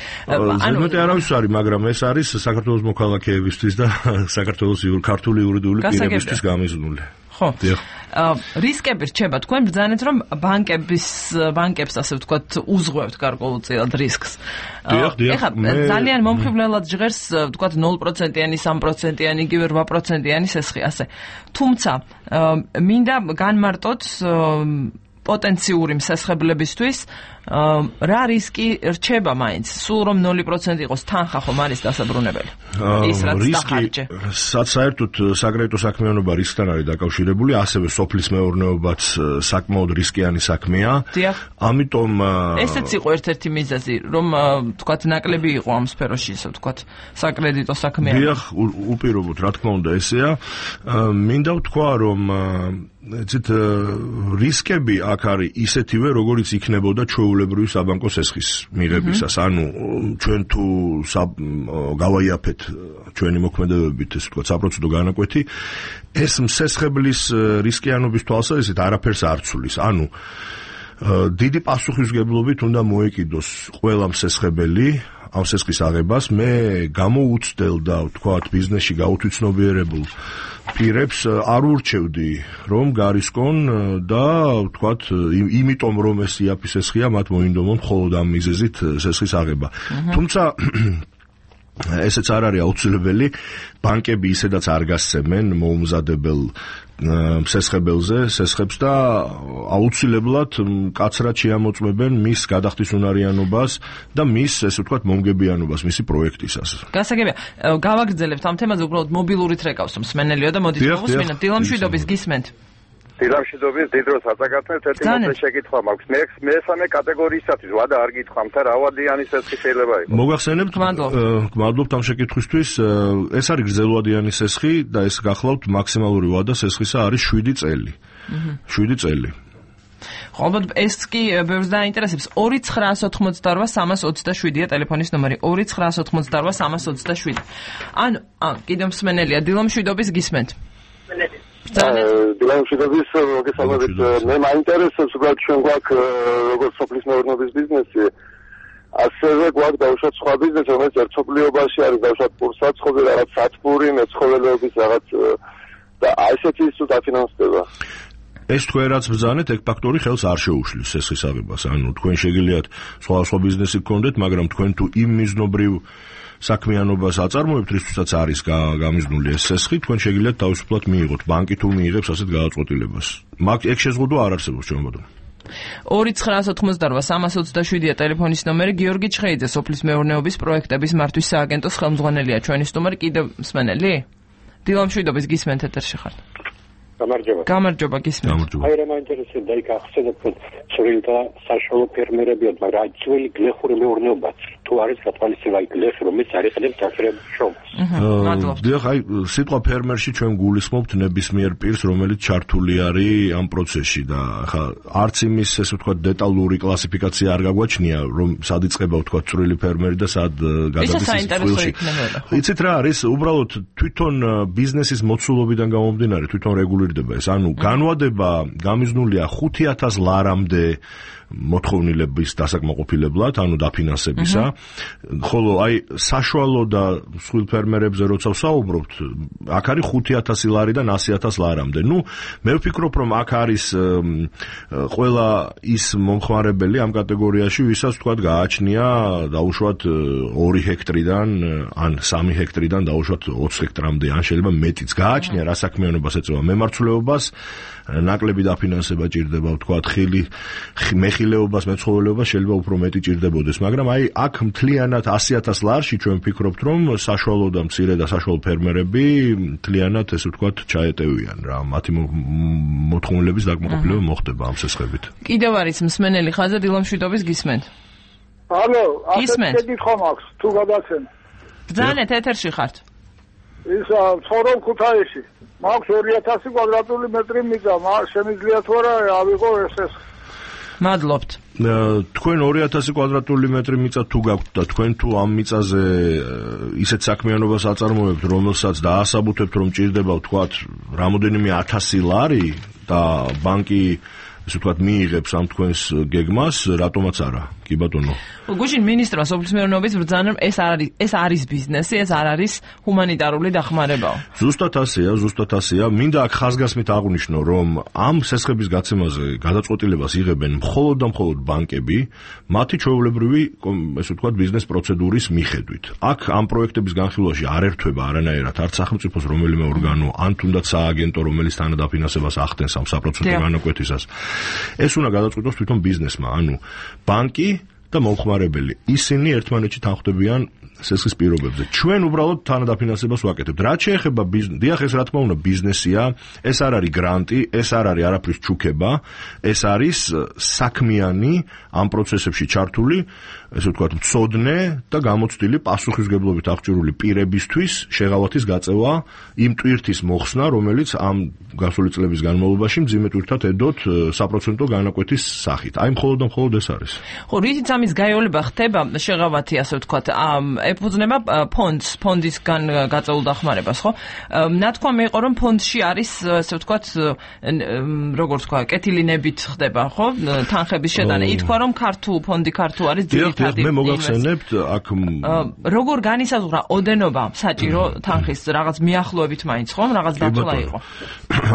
ზედმეტი არავის არის, მაგრამ ეს არის საქართველოს მოქალაქეებისთვის და საქართველოს ქართული იურიდიული პირებისთვის გამიზნული. ხო. რისკები რჩება, თქვენ ბრძანეთ, რომ ბანკებს ასე ვთქვათ, უზღვევთ გარკვეულწილად რისკს. ეხლა ძალიან მომხიბლელად ჟღერს, ვთქვათ, 0%-იანი, 3%-იანი, იგივე 8%-იანი სესხი, ასე. თუმცა, მინდა განმარტოთ პოტენციური მსესხებლებისთვის რა რისკი რჩება მაინც? სულ რომ 0% იყოს თანხა ხომ არის დასაბრუნებელი? ის რაც დახარჯე. საერთოდ საკრედიტო საქმიანობა რისკთან არის დაკავშირებული, ასევე სოფლის მეურნეობაც საკმაოდ რისკიანი საქმეა. ამიტომ ესეც იყო ერთ-ერთი მიზეზი, რომ თქვათ ნაკლები იყო ამ სფეროში, ისე ვთქვათ, საკრედიტო საქმიანობა. დიახ, უპირობოდ, რა თქმა უნდა, ესეა. მინდა ვთქვა, რომ ეცეთ რისკები აქ არის ისეთივე, როგორიც იქნებოდა ჩვეულებრივი საბანკო სესხის მიღებისას. ანუ ჩვენ თუ გავაიაფეთ ჩვენი მოქმედებებით, ესე ვთქვათ, საპროცენტო განაკვეთი, ეს მსესხებლის რისკიანობის თვალსაზრისით არაფერს არ ცვლის. ანუ დიდი პასუხისმგებლობით უნდა მოეკიდოს ყველა მსესხებელი ამ სესხის აღებას. მე გამოუცდელ და ვთქვათ ბიზნესში გაუთვითცნობიერებულ პირებს არ ურჩევდი რომ გარისკონ და ვთქვათ იმიტომ რომ ეს იაფი სესხია მათ მოინდომონ მხოლოდ ამ მიზეზით სესხის აღება. თუმცა ესეც არ არის აუცილებელი. ბანკები ისედაც არ გასცემენ მოუმზადებელ მსესხებელზე სესხებს და აუცილებლად კაცრად შეამოწმებენ მის გადახდის უნარიანობას და მის ესე ვთქვათ მომგებიანობას მისი პროექტისას. გასაგებია, გავაგრძელებთ ამ თემაზე უბრალოდ მობილურით რეკავს მსმენელიო და მოდით მოვუსმინოთ დილამშვიდობის გისმენთ. დილამშვიდობის დიდ დროს აწაკათნეთ ერთი მოკლე შეკითხვა მაქვს. მესამე კატეგორიისათვის ვადა არ გითხრამთ რა ვადიანი სესხი შეიძლება იყოს. მოგახსენებთ, გმადლობთ ამ შეკითხვისთვის. ეს არის გრძელვადიანი სესხი და ეს გახლავთ მაქსიმალური ვადა სესხისა არის 7 წელი. 7 წელი. ხო, ალბათ ეს კი ბევრს დაინტერესებს. 2988327-ია ტელეფონის ნომერი. 2988327. ან კიდევ მსმენელია დილამშვიდობის გისმენთ. დილამშვიდობის მოგესალმებით. მე მაინტერესებს უბრალოდ ჩვენ გვაქვს როგორც სოფლის მეურნეობის ბიზნესი, ასევე გვაქვს დაუშვათ სხვა ბიზნესი, რომელიც ერთობლიობაში არის დაუშვათ პურსაცხოველი, რაღაც სათბური, მეცხოველეობის რაღაც და ასეთი ის თუ დაფინანსდება. ეს თქვენ რაც ბრძანეთ, ეგ ფაქტორი ხელს არ შეუშლის სესხის აღებას. ანუ თქვენ შეგიძლიათ სხვა ბიზნესი გქონდეთ, მაგრამ თქვენ თუ იმ მიზნობრივ საქმიანობას აწარმოებთ, რისთვისაც არის გამიზნული ეს სესხი, თქვენ შეგიძლიათ თავისუფლად მიიღოთ. ბანკი თუ მიიღებს ასეთ გადაწყვეტილებას. ეგ შეზღუდვა არ არსებობს ჩვენ ბატონო. 2988327-ია ტელეფონის ნომერი. გიორგი ჩხეიძე, სოფლის მეურნეობის პროექტების მართვის სააგენტოს ხელმძღვანელია ჩვენი სტუმარი. კიდევ მსმენელი? დილამშვიდობის გისმენთ ეთერში ხართ. გამარჯობა. გამარჯობა გისმენთ. აი რა მაინტერესებდა იქ ახსენეთ რომ წვრილი და საშუალო ფერმერებია, მაგრამ აი ძველი გლეხური მეურნეობაც თუ არის გათვალისწინებული აი გლეხი რომელიც არის ხელი დაფერების შრომას. დიახ, აი სიტყვა ფერმერში ჩვენ გულისხმობთ ნებისმიერ პირს, რომელიც ჩართული არის ამ პროცესში და ხა არც იმის ესე ვთქვათ დეტალური კლასიფიკაცია არ გაგვაჩნია, რომ სად იწყება ვთქვათ წვრილი ფერმერი და სად გადადის წყვილში. იცით რა არის? უბრალოდ თვითონ ბიზნესის მოცულობიდან გამომდინარე, თვითონ რეგულირდება ეს. ანუ განვადება გამიზნულია 5000 ლარამდე მოთხოვნილების დასაკმაყოფილებლად, ანუ დაფინანსებისა. ხოლო აი საშუალო და მსხვილ ფერმერებზე როცა ვსაუბრობთ, აქ არის 5000 ლარიდან 100000 ლარამდე. ნუ მე ვფიქრობ, რომ აქ არის ყველა ის მომხმარებელი ამ კატეგორიაში, ვისაც თქვათ გააჩნია დაუშვათ 2 ჰექტრიდან ან 3 ჰექტრიდან დაუშვათ 20 ჰექტრამდე, ან შეიძლება მეტიც გააჩნია რა საქმიანობას ეწევა მემარცვლეობას, ნაკლები დაფინანსება ჭირდება, ვთქვათ, მეხილეობას, მეცხოველეობას შეიძლება უფრო მეტი ჭირდებოდეს, მაგრამ აი აქ მთლიანად 100000 ლარში ჩვენ ვფიქრობთ, რომ საშუალო და მცირე და საშუალო ფერმერები მთლიანად ესე ვთქვათ ჩაეტევიან რა, მათი მოთხოვნილების დაკმაყოფილება მოხდება ამ სესხებით. კიდევ არის მსმენელი ხაზზე დილამშვიდობის გისმენთ. ალო, ასეთი შეკითხვა მაქვს, თუ გადაცემ. ბრძანეთ, ეთერში ხართ. ისა ცხოვრობ ქუთაისში. მაქვს 2000 კვადრატული მეტრი მიწა, შემიძლია თუ არა ავიღო ეს. მადლობთ. თქვენ 2000 კვადრატული მეტრი მიწა თუ გაქვთ და თქვენ თუ ამ მიწაზე ისეთ საქმიანობას აწარმოებთ, რომელსაც დაასაბუთებთ, რომ ჭირდება ვთქვათ რამოდენიმე 1000 ლარი და ბანკი ესე ვთქვათ მიიღებს ამ თქვენს გეგმას, რატომაც არა? კი ბატონო. გუშინ მინისტრმა სოფლის მეურნეობის ბრძანა, ეს არის ბიზნესი, ეს არ არის ჰუმანიტარული დახმარებაო. ზუსტად ასეა. მინდა აქ ხაზგასმით აღვნიშნო, რომ ამ სესხების გაცემაზე გადაწყვეტილებას იღებენ მხოლოდ და მხოლოდ ბანკები, მათი ჩვეულებრივი, ესე ვთქვათ, ბიზნეს პროცედურის მიხედვით. აქ ამ პროექტების განხილვაში არ ერთვება არანაირად არც სახელმწიფოს რომელიმე ორგანო, ან თუნდაც სააგენტო, რომელიც თანადაფინანსებას ახდენს ამ საპროცენტო განაკვეთისას. ეს უნდა გადაწყვიტოს თვითონ ბიზნესმა, ანუ ბანკი და მომხმარებელი. ისინი ერთმანეთში თანხმდებიან სესხის პირობებზე. ჩვენ უბრალოდ თანადაფინანსებას ვაკეთებთ. რაც შეეხება დიახ, ეს რა თქმა უნდა ბიზნესია, ეს არ არის გრანტი, ეს არ არის არაფრის ჩუქება, ეს არის საქმიანი ამ პროცესებში ჩართული, ესე ვთქვათ, მცოდნე და გამოცდილი პასუხისმგებლობით აღჭურვილი პირებისთვის შეღავათის გაწევა, იმ ტვირთის მოხსნა, რომელიც ამ გასული წლების განმავლობაში მძიმე ტვირთად ედოთ საპროცენტო განაკვეთის სახით. აი მხოლოდ და მხოლოდ ეს არის. ხო, რითიც ამის გაიოლება ხდება შეღავათი, ასე ვთქვათ, ეფუძნება ფონდისგან გაწეულ დახმარებას, ხო? ნათქვამი იყო, რომ ფონდში არის, ასე ვთქვათ, როგორც თქვა, კეთილინებით ხდება, ხო? თანხების შეტანა. ითქვა, რომ ფონდი ქართულ არის ძირითადი. მე მოგახსენებთ, აქ როგორ განისაზღვრა ოდენობა საჭირო თანხის რაღაც მიახლოებით მაინც, ხო? რაღაც დათვლა იყო.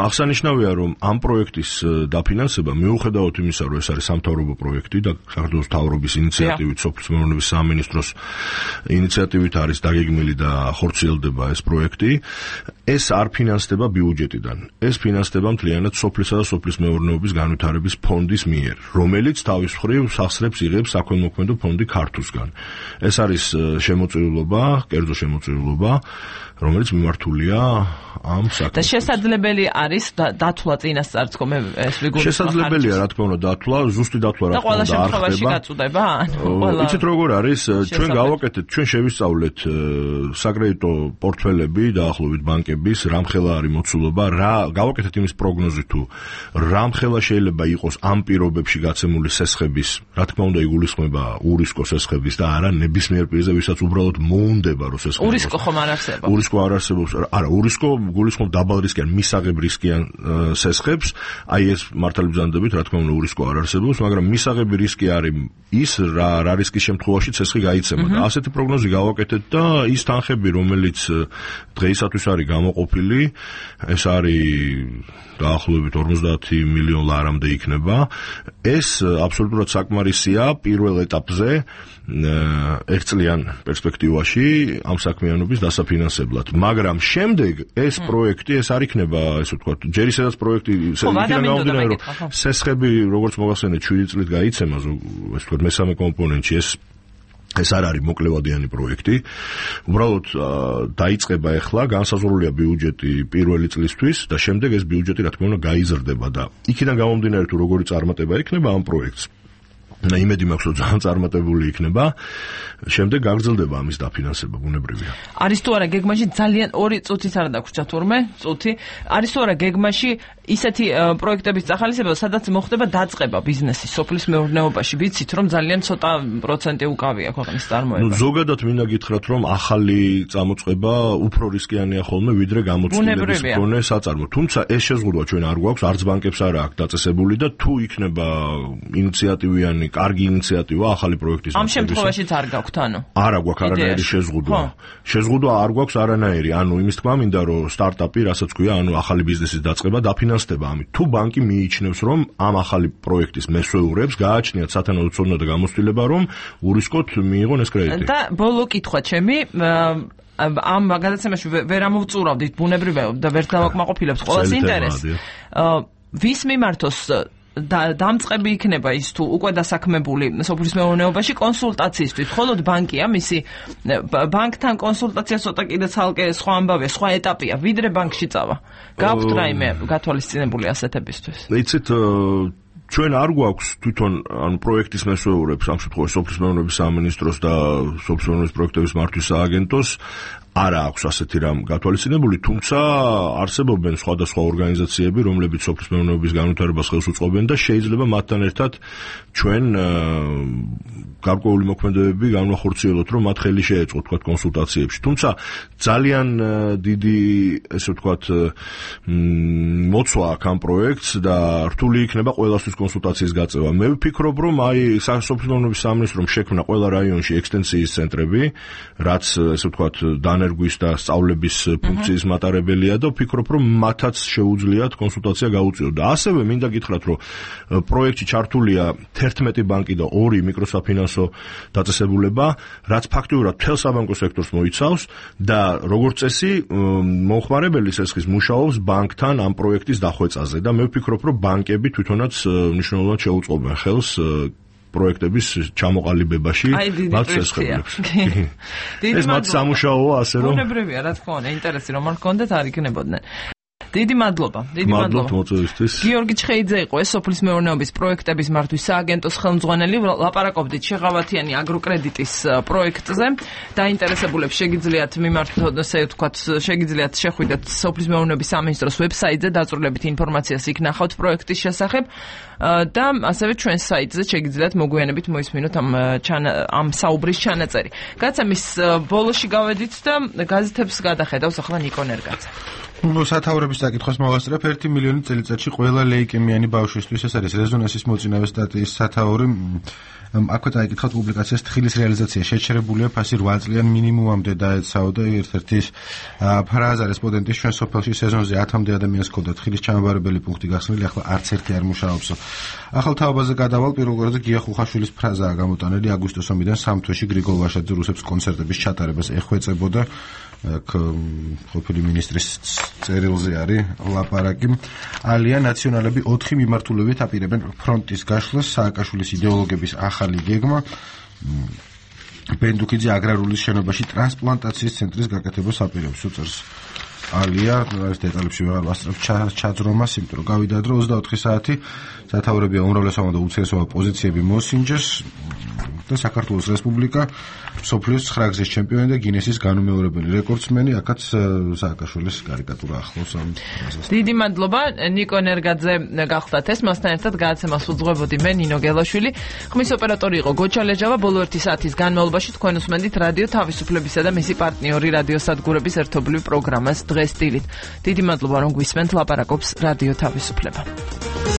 აღსანიშნავია, რომ ამ პროექტის დაფინანსება მიუხედავად იმისა, რომ ეს არის სამთავრობო პროექტი და საქართველოს მთავრობის ინიციატივით, სოფლის მეურნეობის სამინისტროს ინიციატივით არის დაგეგმილი და ხორციელდება ეს პროექტი, ეს არ ფინანსდება ბიუჯეტიდან. ეს ფინანსდება მთლიანად სოფლისა და სოფლის მეურნეობის განვითარების ფონდის მიერ, რომელიც თავის მხრივ სახსრებს იღებს საქველმოქმედო ფონდი ქართულსგან. ეს არის შემოწირულობა, კერძო შემოწირულობა, რომელიც მიმართულია ამ საქმეს. და შესაძლებელი არის დათვლა წინასწარ თქო მე ეს ვიგულისხმობ. შესაძლებელია რა თქმა უნდა დათვლა, ზუსტი დათვლა რა თქმა უნდა არ ხდება. და ყველა შემთხვევაში გაწუდება? იცით როგორ არის? ჩვენ გავაკეთეთ, ჩვენ შევისწავლეთ საკრედიტო პორტფელები დაახლოებით ბანკების, რამხელა არის მოცულობა, რა გავაკეთეთ იმის პროგნოზი თუ რამხელა შეიძლება იყოს ამ პირობებში გაცემული სესხების, რა თქმა უნდა იგულისხმება ურისკო სესხების და არა ნებისმიერ პირზე, ვისაც უბრალოდ მოუნდება რომ სესხები. ურისკო ხომ არ არსებობს? ურისკო არ არსებობს. არა, ურისკო გულისხმობ დაბალ რისკიან, მისაღებ რისკიან სესხებს, აი ეს მართალი ბრძანდებით, რა თქმა უნდა ურისკო არ არსებობს, მაგრამ მისაღები რისკი არის ის რა რისკის შემთხვევაში სესხი გაიცემა და ასეთი პროგნოზი გავაკეთეთ და ის თანხები, რომელიც დღეისათვის არის გამოყოფილი, ეს არის დაახლოებით 50 მილიონ ლარამდე იქნება. ეს აბსოლუტურად საკმარისია პირველ ეტაპზე ერთწლიან პერსპექტივაში ამ საქმიანობის დასაფინანსებლად. მაგრამ შემდეგ ეს პროექტი ეს არ იქნება, ესე ვთქვათ, ჯერ ისედაც პროექტი გამომდინარე, რომ სესხები, როგორც მოგახსენეთ, 7 წლით გაიცემა, ესე ვთქვათ, მესამე კომპონენტში ეს არ არის მოკლევადიანი პროექტი. უბრალოდ დაიწყება ახლა, განსაზღვრულია ბიუჯეტი პირველი წლისთვის და შემდეგ ეს ბიუჯეტი რა თქმა უნდა გაიზრდება და იქიდან გამომდინარე თუ როგორი წარმატება იქნება ამ პროექტს. და იმედი მაქვს, რომ ძალიან წარმატებული იქნება. შემდეგ გაგრძელდება ამის დაფინანსება, ბუნებრივია. არის თუ არა გეგმაში ძალიან 2 წუთიც არ დაგვრჩა თურმე, წუთი. არის თუ არა გეგმაში ისეთი პროექტების წახალისება, სადაც მოხდება დაწყება ბიზნესის სოფლის მეურნეობაში. ვიცით, რომ ძალიან ცოტა პროცენტი უკავია ქვეყნის წარმოება. ზოგადად მინდა გითხრათ, რომ ახალი წამოწყება უფრო რისკიანია ხოლმე, ვიდრე გამოცდილების მქონე საწარმო. თუმცა ეს შეზღუდვა ჩვენ არ გვაქვს, არც ბანკებს არ აქვს დაწესებული და თუ იქნება ინიციატივიანი კარგი ინიციატივა ახალი პროექტის ამ შემთხვევაშიც არ გაქვთ ანუ? არა გვაქვს არანაირი შეზღუდვა. შეზღუდვა არ გვაქვს არანაირი. ანუ იმის თქმა მინდა რომ სტარტაპი, რასაც ქვია, ანუ ახალი ბიზნესის დაწყება დაფინანსდება ამით. თუ ბანკი მიიჩნევს, რომ ამ ახალი პროექტის მესვეურებს გააჩნიათ სათანადო ცოდნა და გამოცდილება, რომ ურისკოთ მიიღონ ეს კრედიტი. და ბოლო კითხვა ჩემი ამ გადაცემაში ვერ ამოვწურავდით ბუნებრივია და ვერ დავაკმაყოფილებს ყოველს ინტერესს. ვის მიმართოს დამწყები იქნება ის თუ უკვე დასაქმებული სოფლის მეურნეობაში კონსულტაციისთვის, მხოლოდ ბანკია მისი ბანკთან კონსულტაცია ცოტა კიდე ცალკე სხვა ამბავია, სხვა ეტაპია, ვიდრე ბანკში წავა. გაქვთ რაიმე გათვალისწინებული ასეთებისთვის? იცით, ჩვენ არ გვაქვს თვითონ ანუ პროექტის მესვეურებს, ამ შემთხვევაში სოფლის მეურნეობის სამინისტროს და სოფლის მეურნეობის პროექტების მართვის სააგენტოს არა აქვს ასეთი რამ გათვალისწინებული, თუმცა არსებობენ სხვადასხვა ორგანიზაციები, რომლებიც სოფლის მეურნეობის განვითარებას ხელს უწყობენ და შეიძლება მათთან ერთად ჩვენ გარკვეული მოქმედებები განვახორციელოთ, რომ მათ ხელი შეეწყოთ, თქვათ, კონსულტაციებში. თუმცა ძალიან დიდი, ესე ვთქვათ, მოცვა აქვს ამ პროექტს და რთული იქნება ყველასთვის კონსულტაციის გაწევა. მე ვფიქრობ, რომ აი სოფლის მეურნეობის სამინისტრომ შექმნა ყველა რაიონში ექსტენსიის ცენტრები, რაც, ესე ვთქვათ, ენერგვის და სწავლების ფუნქციის მატარებელია და ვფიქრობ, რომ მათაც შეუძლიათ კონსულტაცია გაუწიოთ. და ასევე მინდა გითხრათ, რომ პროექტში ჩართულია 11 ბანკი და 2 მიკროსაფინანსო დაწესებულება, რაც ფაქტიურად მთელ საბანკო სექტორს მოიცავს და როგორც წესი მომხმარებელი სესხის მუშაობს ბანკთან ამ პროექტის დახვეწაზე და მე ვფიქრობ, რომ ბანკები თვითონაც მნიშვნელოვნად შეუწყობენ ხელს პროექტების ჩამოყალიბებაში მათ სესხებს. ეს მათ სამუშაოა, ასე რომ ბუნებრივია, რა თქმა უნდა, ინტერესი რომ არ გქონდეთ არ იქნებოდნენ. დიდი მადლობა. მოწვევისთვის. გიორგი ჩხეიძე იყო ეს სოფლის მეურნეობის პროექტების მართვის სააგენტოს ხელმძღვანელი. ლაპარაკობდით შეღავათიანი აგროკრედიტის პროექტზე. დაინტერესებულებს შეგიძლიათ მიმართოთ, ესე ვთქვათ, შეგიძლიათ შეხვიდეთ სოფლის მეურნეობის სამინისტროს ვებსაიტზე, დაწვრილებით ინფორმაციას იქ ნახავთ პროექტის შესახებ და ასევე ჩვენს საიტზე შეგიძლიათ მოგვიანებით მოისმინოთ ამ საუბრის ჩანაწერი. გაცემის ბოლოში გავედით და გაზეთებს გადახედავს ახლა ნიკო ნერგაძე. სათაურების საკითხს მოვასწრებ 1 მილიონი წელიწადში ყველა ლეიკემიანი ბავშვისთვის ეს არის რეზონანსის მოწინავე სტატიის სათაური. აქვე წაიკითხავთ პუბლიკაციას თხილის რეალიზაცია შეჩერებულია ფასი 8 წლიან მინიმუმამდე დაეცაოდა ერთ-ერთი ფრაზა რესპონდენტის ჩვენ სოფელში სეზონზე 10-მდე ადამიანს ჰქონდა თხილის ჩამაბარებელი პუნქტი გახსნილი, ახლა არც ერთი არ მუშაობს. ახალ თაობაზე გადავალ პირველ რიგში გია ხუხაშვილის ფრაზაა გამოტანილი აგვისტოს ომიდან 3 თვეში გრიგოლ ვაშაძე რუსებს კონცერტების ჩატარებას ეხვეწებოდა. ყოფილი მინისტრის წერილზე არის ლაპარაკი. ალია ნაციონალები 4 მიმართულებით აპირებენ ფრონტის გაშლას, სააკაშვილის იდეოლოგების ახალი გეგმა. ბენდუკიძე აგრარული შენობაში ტრანსპლანტაციის ცენტრის გაკეთებას აპირებს, უწევს ალია, ეს დეტალებში ვეღარ ვასწრებ ჩაძრომას, იმიტომ რომ გავიდა დრო 24 საათი სათაურებია უმრავლესობა და უცესობა პოზიციები მოსინჯეს და საქართველოს რესპუბლიკა სოფლიოს 9 გზის ჩემპიონი და გინესის განუმეორებელი რეკორდსმენი, აქაც სააკაშვილის კარიკატურა ახლავს ამ ფრაზას. დიდი მადლობა ნიკო ნერგაძე გახლდათ ეს, მასთან ერთად გადაცემას უძღვებოდი მე ნინო გელაშვილი. ხმის ოპერატორი იყო გოჩა ლეჯავა. ბოლო 1 საათის განმავლობაში თქვენ უსმენდით რადიო თავისუფლებისა და მისი პარტნიორი რადიო სადგურების ერთობლივ პროგრამას დღეს დილით. დიდი მადლობა რომ გვისმენთ, ლაპარაკობს რადიო თავისუფლება.